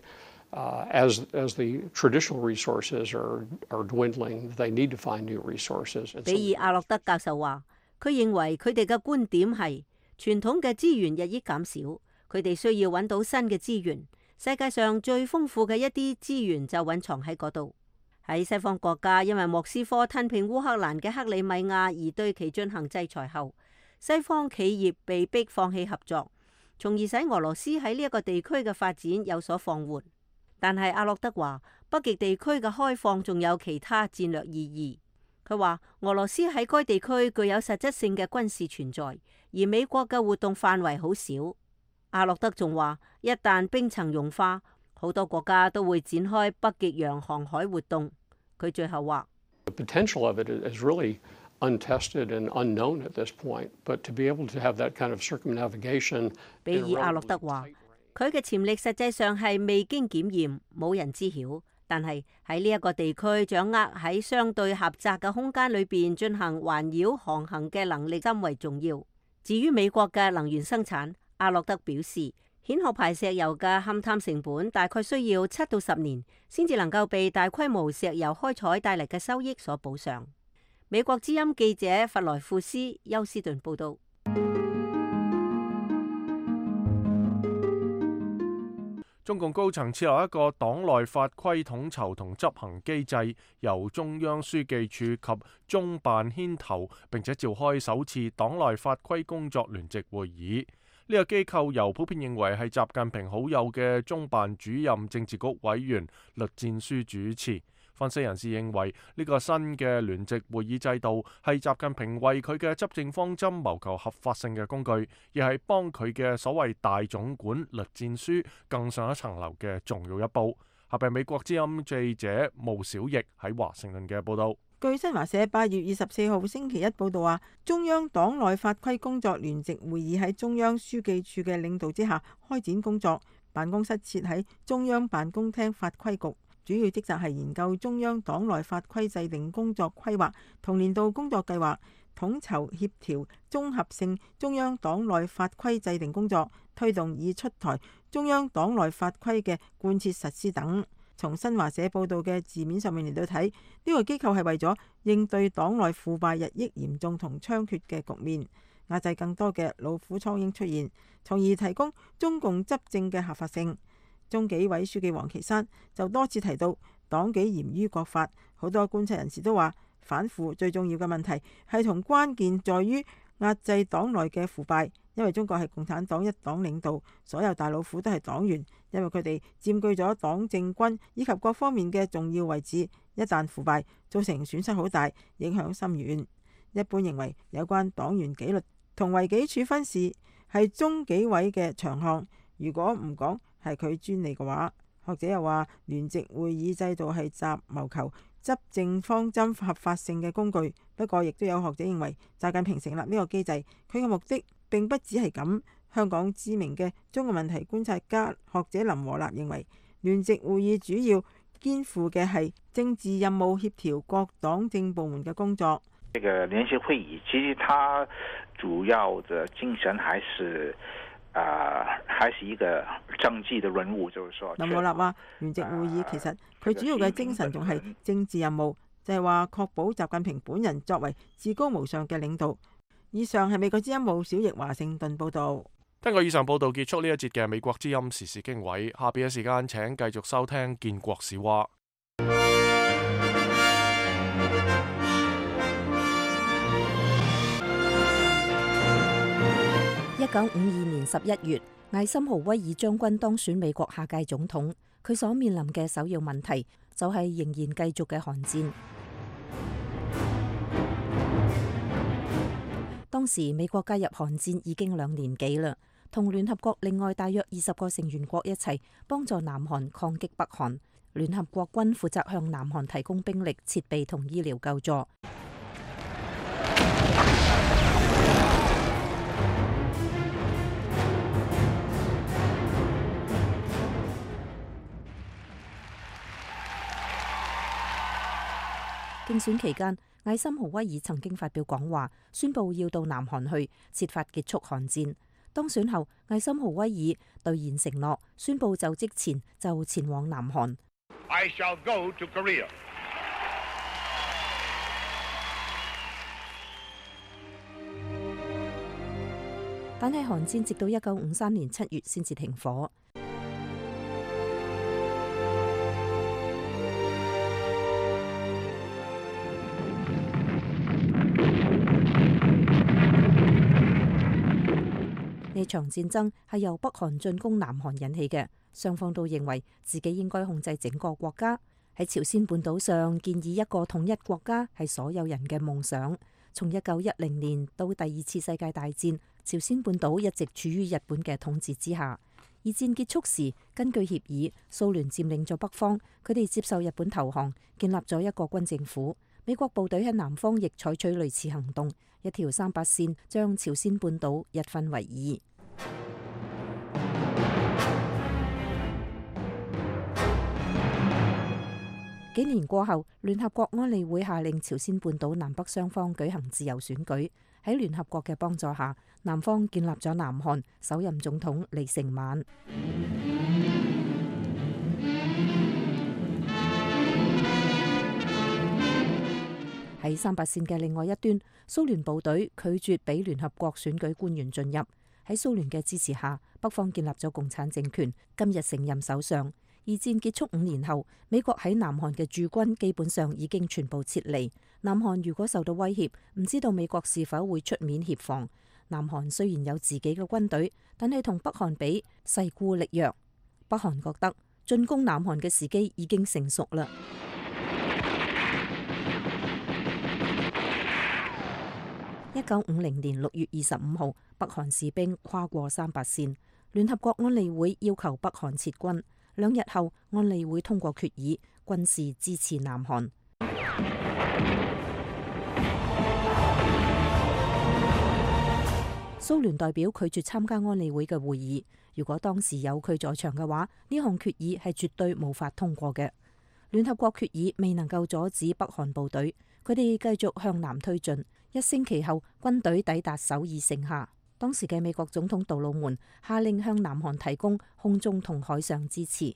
as the traditional resources are dwindling, they need to find new resources.
比爾阿洛德教授話：佢認為佢哋嘅觀點係傳統嘅資源日益減少，佢哋需要揾到新嘅資源。世界上最豐富嘅一啲資源就蘊藏喺嗰度。喺西方國家因為莫斯科吞併烏克蘭嘅克里米亞而對其進行制裁後，西方企業被迫放棄合作，從而使俄羅斯喺呢一個地區嘅發展有所放緩。但係阿洛德話，北極地區嘅開放仲有其他戰略意義。佢話俄羅斯喺該地區具有實質性嘅軍事存在，而美國嘅活動範圍好少。阿洛德仲話，一旦冰層融化，好多國家都會展開北極洋航海活動。佢最後話
：The potential of it is really untested and unknown at this point, but to be able to have that kind of circumnavigation。
比爾阿洛德話：佢嘅潛力實際上係未經檢驗，冇人知曉。但係喺呢一個地區掌握喺相對狹窄嘅空間裏邊進行環繞航行嘅能力甚為重要。至於美國嘅能源生產，阿洛德表示，蜆殼牌石油嘅勘探成本大概需要7到10年，先至能夠被大規模石油開採帶嚟嘅收益所補上。美國之音記者弗萊庫斯休斯頓報道。
中共高層設立一個黨內法規統籌同執行機制，由中央書記處及中辦牽頭，並且召開首次黨內法規工作聯席會議。呢個機構由普遍認為係習近平好友嘅中辦主任政治局委員栗戰書主持。分析人士認為呢個新嘅聯席會議制度係習近平為佢嘅執政方針謀求合法性嘅工具，亦係幫佢嘅所謂大總管栗戰書更上一層樓嘅重要一步。下邊美國之音記者毛小翼喺華盛頓嘅報道。
據新華社8月24號星期一報道話，中央黨內法規工作聯席會議喺中央書記處嘅領導之下開展工作，辦公室設喺中央辦公廳法規局，主要職責係研究中央黨內法規制定工作規劃同年度工作計劃，統籌協調綜合性中央黨內法規制定工作，推動已出台中央黨內法規嘅貫徹實施等。從新華社報道嘅字面上面嚟到睇，呢個機構係為咗應對黨內腐敗日益嚴重同猖獗嘅局面，壓制更多嘅老虎蒼蠅出現，從而提供中共執政嘅合法性。中紀委書記王岐山就多次提到黨紀嚴於國法，好多觀察人士都話反腐最重要嘅問題係同關鍵在於壓制黨內嘅腐敗，因為中國係共產黨一黨領導，所有大老虎都係黨員，因為佢哋佔據咗黨政軍以及各方面嘅重要位置，一旦腐敗，造成損失好大，影響深遠。一般認為有關黨員紀律同違紀處分事係中紀委嘅長項，如果唔講係佢專利嘅話，學者又話聯席會議制度係習謀求執政方針合法性嘅工具。不過亦都有學者認為習近平成立呢個機制，佢嘅目的並不只係咁。香港知名嘅中國問題觀察家學者林和立認為，聯席會議主要肩負嘅係政治任務，協調各黨政部門嘅工作。
這個聯席會議其實它主要的精神還是一個政治的任務，就是說。
林和立話，聯席會議其實佢主要嘅精神仲係政治任務，就係話確保習近平本人作為至高無上嘅領導。以上係美國之音毛小翼華盛頓報導。
聽過以上報導結束呢一節嘅美國之音時事經緯，下邊嘅時間請繼續收聽建國史話。
1952年11月，艾森豪威爾將軍當選美國下屆總統，佢所面臨嘅首要問題就係仍然繼續嘅韓戰。當時美國加入韓戰已經2年幾啦，同聯合國另外大約20個成員國一齊幫助南韓抗擊北韓。聯合國軍負責向南韓提供兵力、設備同醫療救助。競選期間，艾森豪威爾曾經發表講話，宣布要到南韓去設法結束韓戰。當選後，艾森豪威爾兌現承諾，宣布就職前就前往南韓。
I shall go to Korea.
但係韓戰直到1953年7月先至停火。呢場戰爭係由北韓進攻南韓引起嘅，雙方都認為自己應該控制整個國家。喺朝鮮半島上建議一個統一國家係所有人嘅夢想。從1910年到第2次世界大戰，朝鮮半島一直處於日本嘅統治之下。二戰結束時，根據協議，蘇聯佔領咗北方，佢哋接受日本投降，建立咗一個軍政府。美國部隊喺南方亦採取類似行動，一條3/8線將朝鮮半島一分為2。幾年過後，聯合國安理會下令朝鮮半島南北雙方舉行自由選舉。喺聯合國嘅幫助下，南方建立咗南韓，首任總統李承晚。喺3/8線嘅另外一端，蘇聯部隊拒絕俾聯合國選舉官員進入。喺蘇聯嘅支持下，北方建立咗共產政權，今日承任首相。二戰結束5年後，美國喺南韓嘅駐軍基本上已經全部撤離。南韓如果受到威脅，唔知道美國是否會出面協防。南韓雖然有自己嘅軍隊，但係同北韓比勢孤力弱。北韓覺得進攻南韓嘅時機已經成熟啦。1950年6月25號，北韓士兵跨過3八線，聯合國安理會要求北韓撤軍。2日後，安理會通過決議，軍事支持南韓。蘇聯代表拒絕參加安理會嘅會議。如果當時有佢在場嘅話，呢項決議係絕對無法通過嘅。聯合國決議未能夠阻止北韓部隊，佢哋繼續向南推進。1星期後，軍隊抵達首爾城下。當時嘅美國總統杜魯門下令向南韓提供空中同海上支持。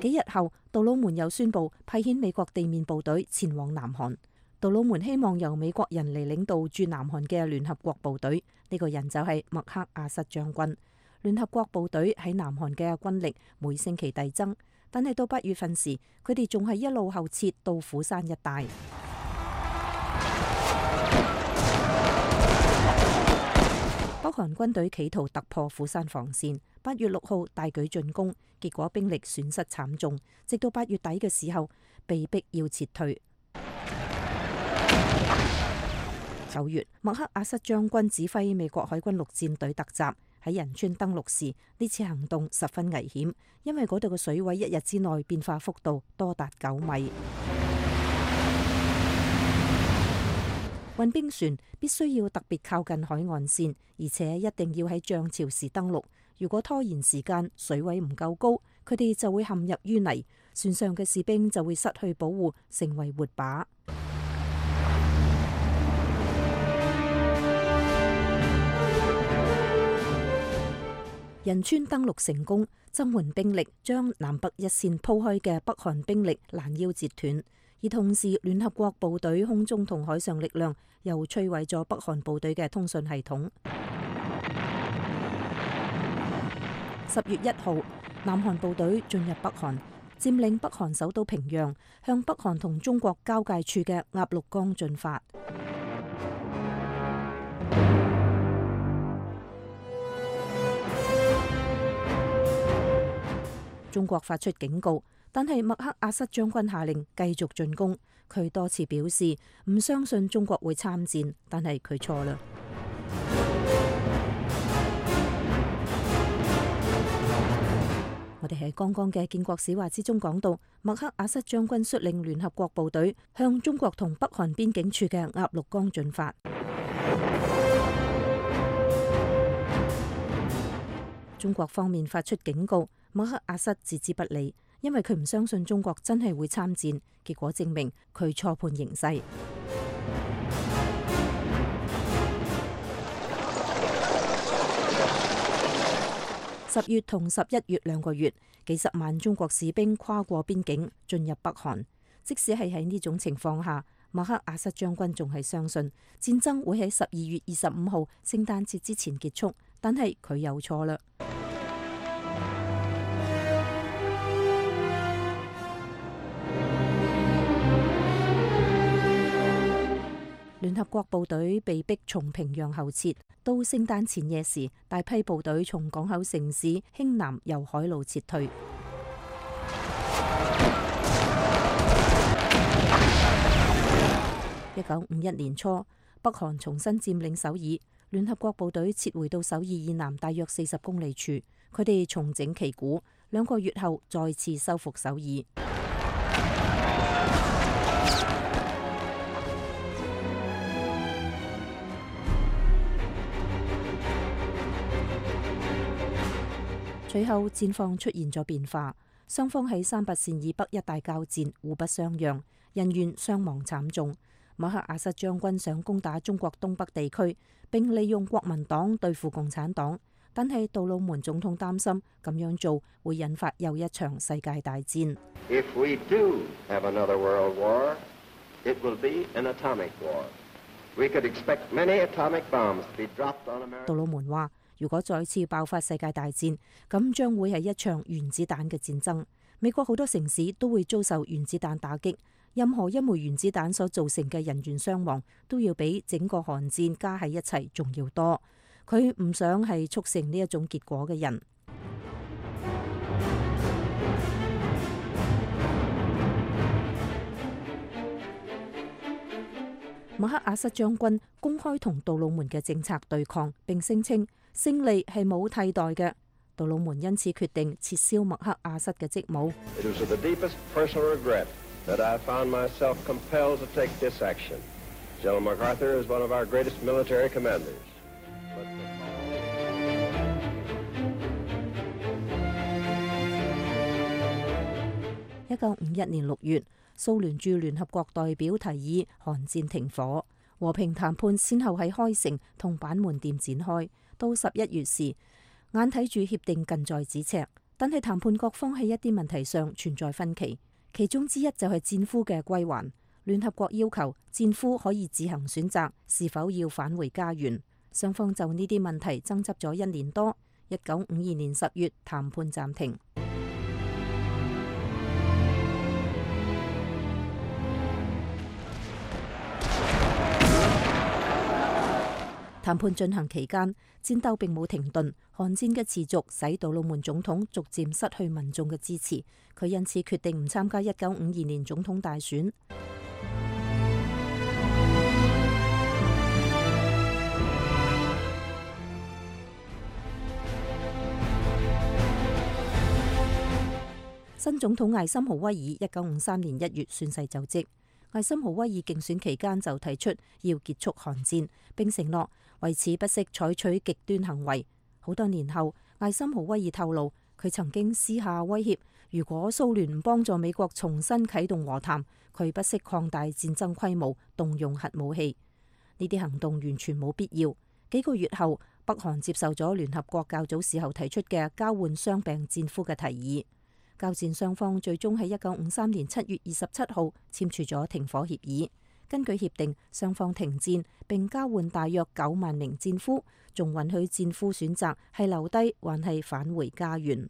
幾日後，杜魯門又宣布派遣美國地面部隊前往南韓。杜魯門希望由美國人嚟領導駐南韓嘅聯合國部隊，呢個人就係麥克阿瑟將軍。聯合國部隊喺南韓嘅軍力每星期遞增，但係到8月份時，佢哋仲係一路後撤到釜山一帶。北韓軍隊企圖突破釜山防線，8月6號大舉進攻，結果兵力損失慘重，直到8月底嘅時候被逼要撤退。9月，麥克阿瑟將軍指揮美國海軍陸戰隊突襲，喺仁川登陸時，呢次行動十分危險，因為嗰度嘅水位1日之內變化幅度多達9米。運兵船必須要特別靠近海岸線，而且一定要喺漲潮時登陸。如果拖延時間，水位唔夠高，佢哋就會陷入淤泥，船上嘅士兵就會失去保護，成為活靶。仁川登陸成功，增援兵力將南北一線鋪開嘅北韓兵力攔腰截斷，而同時聯合國部隊空中同海上力量又摧毀咗北韓部隊嘅通訊系統。10月1號，南韓部隊進入北韓，佔領北韓首都平壤，向北韓同中國交界處嘅鴨綠江進發。中國發出警告，但係麥克阿瑟將軍下令繼續進攻。佢多次表示唔相信中國會參戰，但係佢錯啦。我哋喺剛剛嘅建國史話之中講到，麥克阿瑟將軍率領聯合國部隊向中國同北韓邊境處嘅鴨綠江進發。中國方面發出警告，麥克阿瑟置之不理，因為佢唔相信中國真係會參戰。結果證明佢錯判形勢。10月同11月2個月，幾十萬中國士兵跨過邊境進入北韓。即使係喺呢種情況下，麥克阿瑟將軍仲係相信戰爭會喺12月25號聖誕節之前結束，但係佢又錯啦。聯合國部隊被逼從平壤後撤，到聖誕前夜時，大批部隊從港口城市興南由海路撤退。1951年初，北韓重新佔領首爾，聯合國部隊撤回到首爾以南大約40公里處，佢哋重整旗鼓，2個月後再次收復首爾。隨後戰況出現咗變化，雙方喺3八線以北一帶交戰，互不相讓，人員傷亡慘重。麥克阿瑟將軍想攻打中國東北地區，並利用國民黨對付共產黨，但係杜魯門總統擔心咁樣做會引發又一場世界大戰。
If we do have another world war, it will be an atomic war. We could expect many atomic bombs to be dropped on America.
杜魯門話：如果再次爆發世界大戰，咁將會係一場原子彈嘅戰爭。美國好多城市都會遭受原子彈打擊，任何一枚原子彈所造成嘅人員傷亡都要比整個韓戰加喺一齊仲要多。佢唔想係促成呢一種結果嘅人。麥克阿瑟將軍公開同杜魯門嘅政策對抗，並聲稱勝利係冇替代嘅。杜魯門因此決定撤銷麥克阿瑟嘅職務。
It was with the deepest personal regret that I found myself compelled to take this action. General MacArthur is one of our greatest military commanders.
1951年6月，蘇聯駐聯合國代表提議韓戰停火，和平談判先後喺開城同板門店展開。到11月時，眼睇住協定近在咫尺，但係談判各方喺一啲問題上存在分歧，其中之一就係戰俘嘅歸還。聯合國要求戰俘可以自行選擇是否要返回家園，雙方就呢啲問題爭執咗1年多。1952年10月，談判暫停。談判進行期間，戰鬥並冇停頓。韓戰嘅持續使杜魯門總統逐漸失去民眾嘅支持，佢因此決定唔參加1952年總統大選。新總統艾森豪威爾1953年1月宣誓就職。艾森豪威爾競選期間就提出要結束韓戰，並承諾為此不惜採取極端行為。好多年後，艾森豪威爾透露，佢曾經私下威脅，如果蘇聯唔幫助美國重新啟動和談，佢不惜擴大戰爭規模，動用核武器。呢啲行動完全冇必要。幾個月後，北韓接受咗聯合國較早時候提出嘅交換傷病戰俘嘅提議。交戰雙方最終喺1953年7月27號簽署咗停火協議。根據協定，雙方停戰並交換大約9萬名戰俘，仲允許戰俘選擇係留低還係返回家園。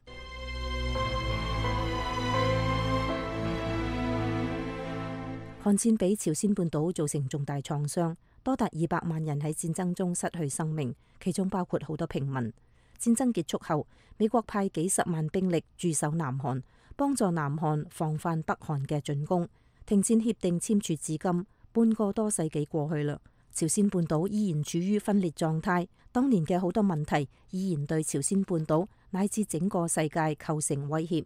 韓戰俾朝鮮半島造成重大創傷，多達200萬人喺戰爭中失去生命，其中包括好多平民。戰爭結束後，美國派幾十萬兵力駐守南韓，幫助南韓防範北韓嘅進攻。停戰協定簽署至今，半個多世紀過去啦，朝鮮半島依然處於分裂狀態。當年嘅好多問題依然對朝鮮半島乃至整個世界構成威脅。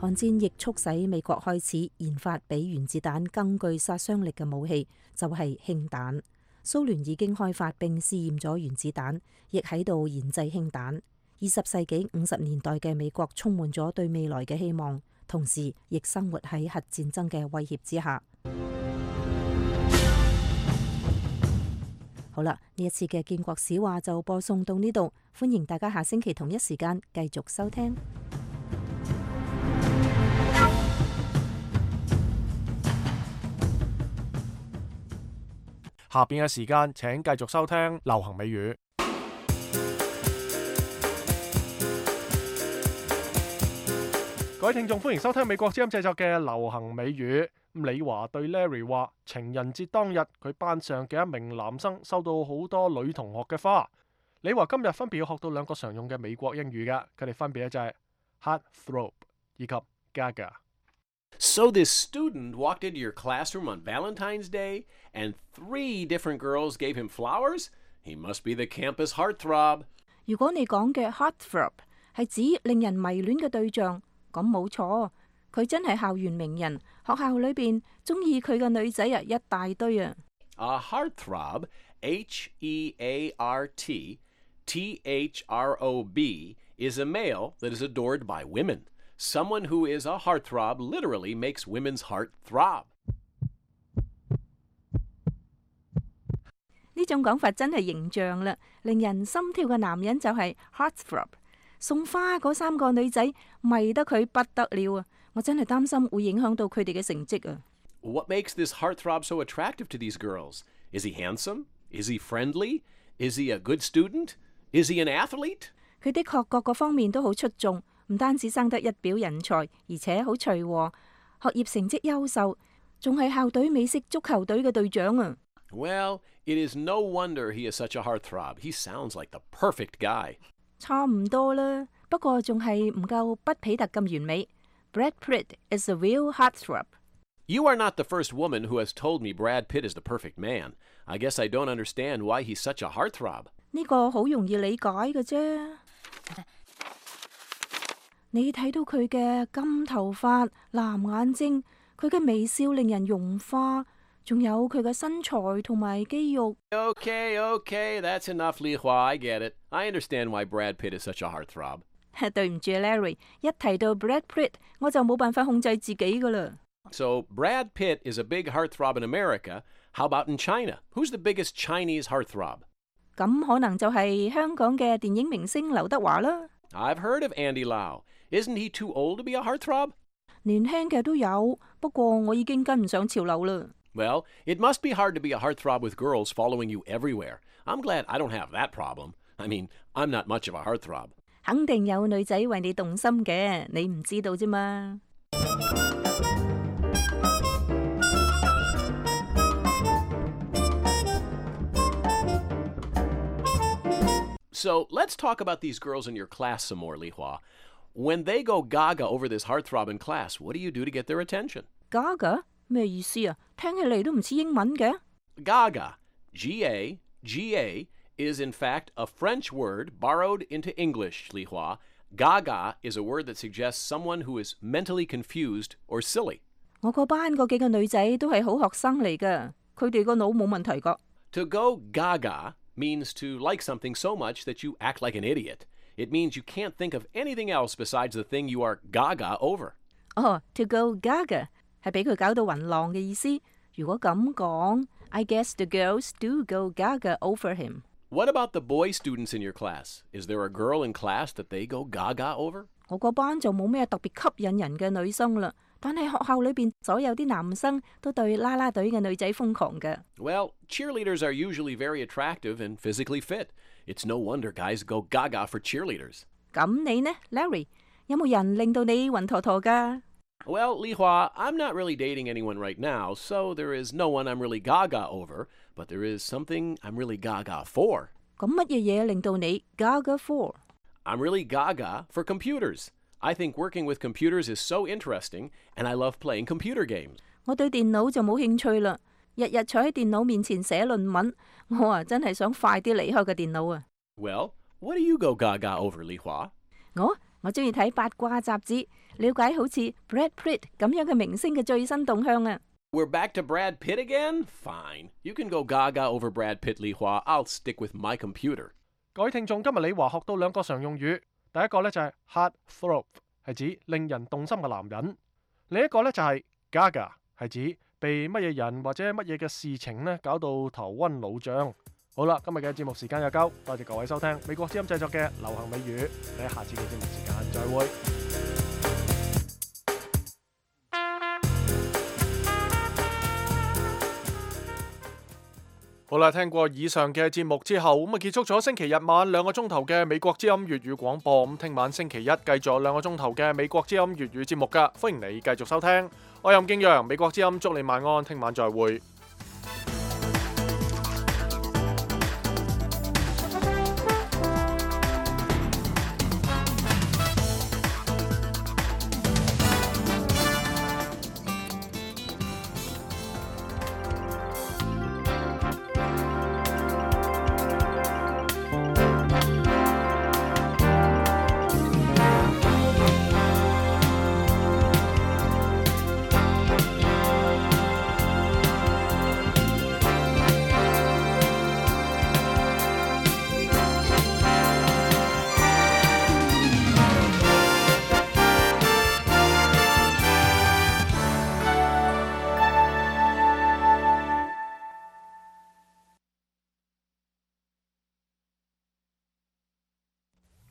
韓戰亦促使美國開始研發比原子彈更具殺傷力嘅武器，就係氫彈。蘇聯已經開發並試驗咗原子彈，亦喺度研製氫彈。20世紀50年代嘅美國充滿咗對未來嘅希望，同時亦生活喺核戰爭嘅威脅之下。好啦，呢一次嘅建國史話就播送到呢度，歡迎大家下星期同一時間繼續收聽。
下邊嘅時間請繼續收聽流行美語。各位聽眾，歡迎收聽美國之音製作嘅流行美語。李華對 Larry 話，情人節當日佢班上嘅一名男生收到好多女同學嘅花。李華今日分別要學到2個常用嘅美國英語嘅，佢哋分別咧就係 heartthrob 以及 gaga。So
this student walked into your classroom on Valentine's Day, and 3 different girls gave him flowers? He must be the campus heartthrob.
如果你講嘅 heartthrob 係指令人迷戀嘅對象，咁冇錯，佢真係校園名人，學校裏邊中意佢嘅女仔啊一大堆啊。
A heartthrob, H-E-A-R-T-T-H-R-O-B, is a male that is adored by women.Someone who is a heartthrob literally makes women's heart throb.
呢種講法真係形象啦，令人心跳嘅男人就係 heartthrob。送花嗰3個女仔迷得佢不得了啊！我真係擔心會影響到佢哋嘅成績啊。
What makes this heartthrob so attractive to these girls? Is he handsome? Is he friendly? Is he a good student? Is he an athlete?
佢的確各個方面都好出眾，唔單止生得一表人才，而且好隨和，學業成績優秀，仲係校隊美式足球隊嘅隊長啊！
Well, it is no wonder he is such a heartthrob. He sounds like the perfect guy.
差唔多啦，不過仲係唔夠畢彼特咁完美。Brad Pitt is a real heartthrob.
You are not the first woman who has told me Brad Pitt is the perfect man. I guess I don't understand why he's such a heartthrob.
呢個好容易理解嘅啫。你睇到佢嘅金頭髮、藍眼睛，佢嘅微笑令人融化，仲有佢嘅身材同埋肌肉。
Okay, that's enough, Li Hua. I get it. I understand why Brad Pitt is such a heartthrob.
對唔住 Larry， 一提到 Brad Pitt， 我就冇辦法控制自己噶啦。
So Brad Pitt is a big heartthrob in America. How about in China? Who's the biggest Chinese heartthrob?
咁可能就係香港嘅電影明星劉德華啦。
I've heard of Andy Lau. Isn't he too old to be a heartthrob?
年輕嘅都有，不過我已經跟唔上潮流啦。
Well, it must be hard to be a heartthrob with girls following you everywhere. I'm glad I don't have that problem. I mean, I'm not much of a heartthrob.
肯定有女仔為你動心嘅，你唔知道啫嘛。
So let's talk about these girls in your class some more, Li Hua. When they go gaga over this heartthrob in class, what do you do to get their attention?
Gaga 咩意思啊？聽起嚟都唔似英文嘅。
Gaga, G-A, is in fact a French word borrowed into English, Li Hua. Gaga is a word that suggests someone who is mentally confused or silly.
我個班嗰幾個女仔都係好學生嚟㗎，佢哋個腦冇問題㗎。
To go gaga means to like something so much that you act like an idiot. It means you can't think of anything else besides the thing you are gaga over.
To go gaga 係俾佢搞到暈浪嘅意思。如果咁講 I guess the girls do go gaga over him.
What about the boy students in your class? Is there a girl in class that they go gaga over?
我個班就冇咩特別吸引人嘅女生啦，但係學校裏邊所有啲男生都對啦啦隊嘅女仔瘋狂嘅。
Well, cheerleaders are usually very attractive and physically fit. It's no wonder guys go gaga for cheerleaders.
咁你呢 ，Larry？ 有冇人令到你暈陀陀㗎？
Well, Li Hua, I'm not really dating anyone right now, so there is no one I'm really gaga over, but there is something I'm really gaga for.
咁乜嘢嘢令到你 gaga for？
I'm really gaga for computers. I think working with computers is so interesting, and I love playing computer games.
我對電腦就冇興趣啦，日日坐喺電腦面前寫論文，我真係想快啲離開個電腦啊！
Well, what do you go gaga over, Li Hua?
我中意睇八卦雜誌，了解好似 Brad Pitt 咁樣嘅明星嘅最新動向啊！
We're back to Brad Pitt again? Fine. You can go gaga over Brad Pitt, Li Hua. I'll stick with my computer.
各位聽眾，今日李華學到兩個常用語，第一個呢就係 heartthrob， 係指令人動心嘅男人；另一個呢就係 gaga， 係指被乜嘢人或者乜嘢嘅事情呢搞到頭暈腦脹。好啦，今日嘅節目時間又夠，多謝各位收聽美國之音製作嘅流行美語，你喺下次嘅節目時間再會。好啦，聽過以上嘅節目之後，咁結束咗星期日晚2個鐘頭嘅美國之音粵語廣播。咁聽晚星期一繼續2個鐘頭嘅美國之音粵語節目㗎，歡迎你繼續收聽。我係任敬揚，美國之音祝你晚安，聽晚再會。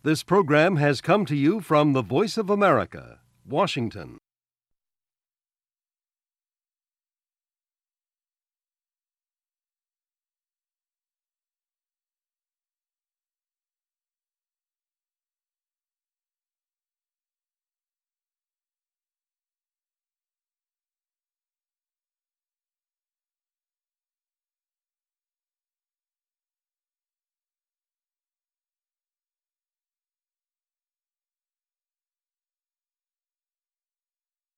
This program has come to you from the Voice of America, Washington.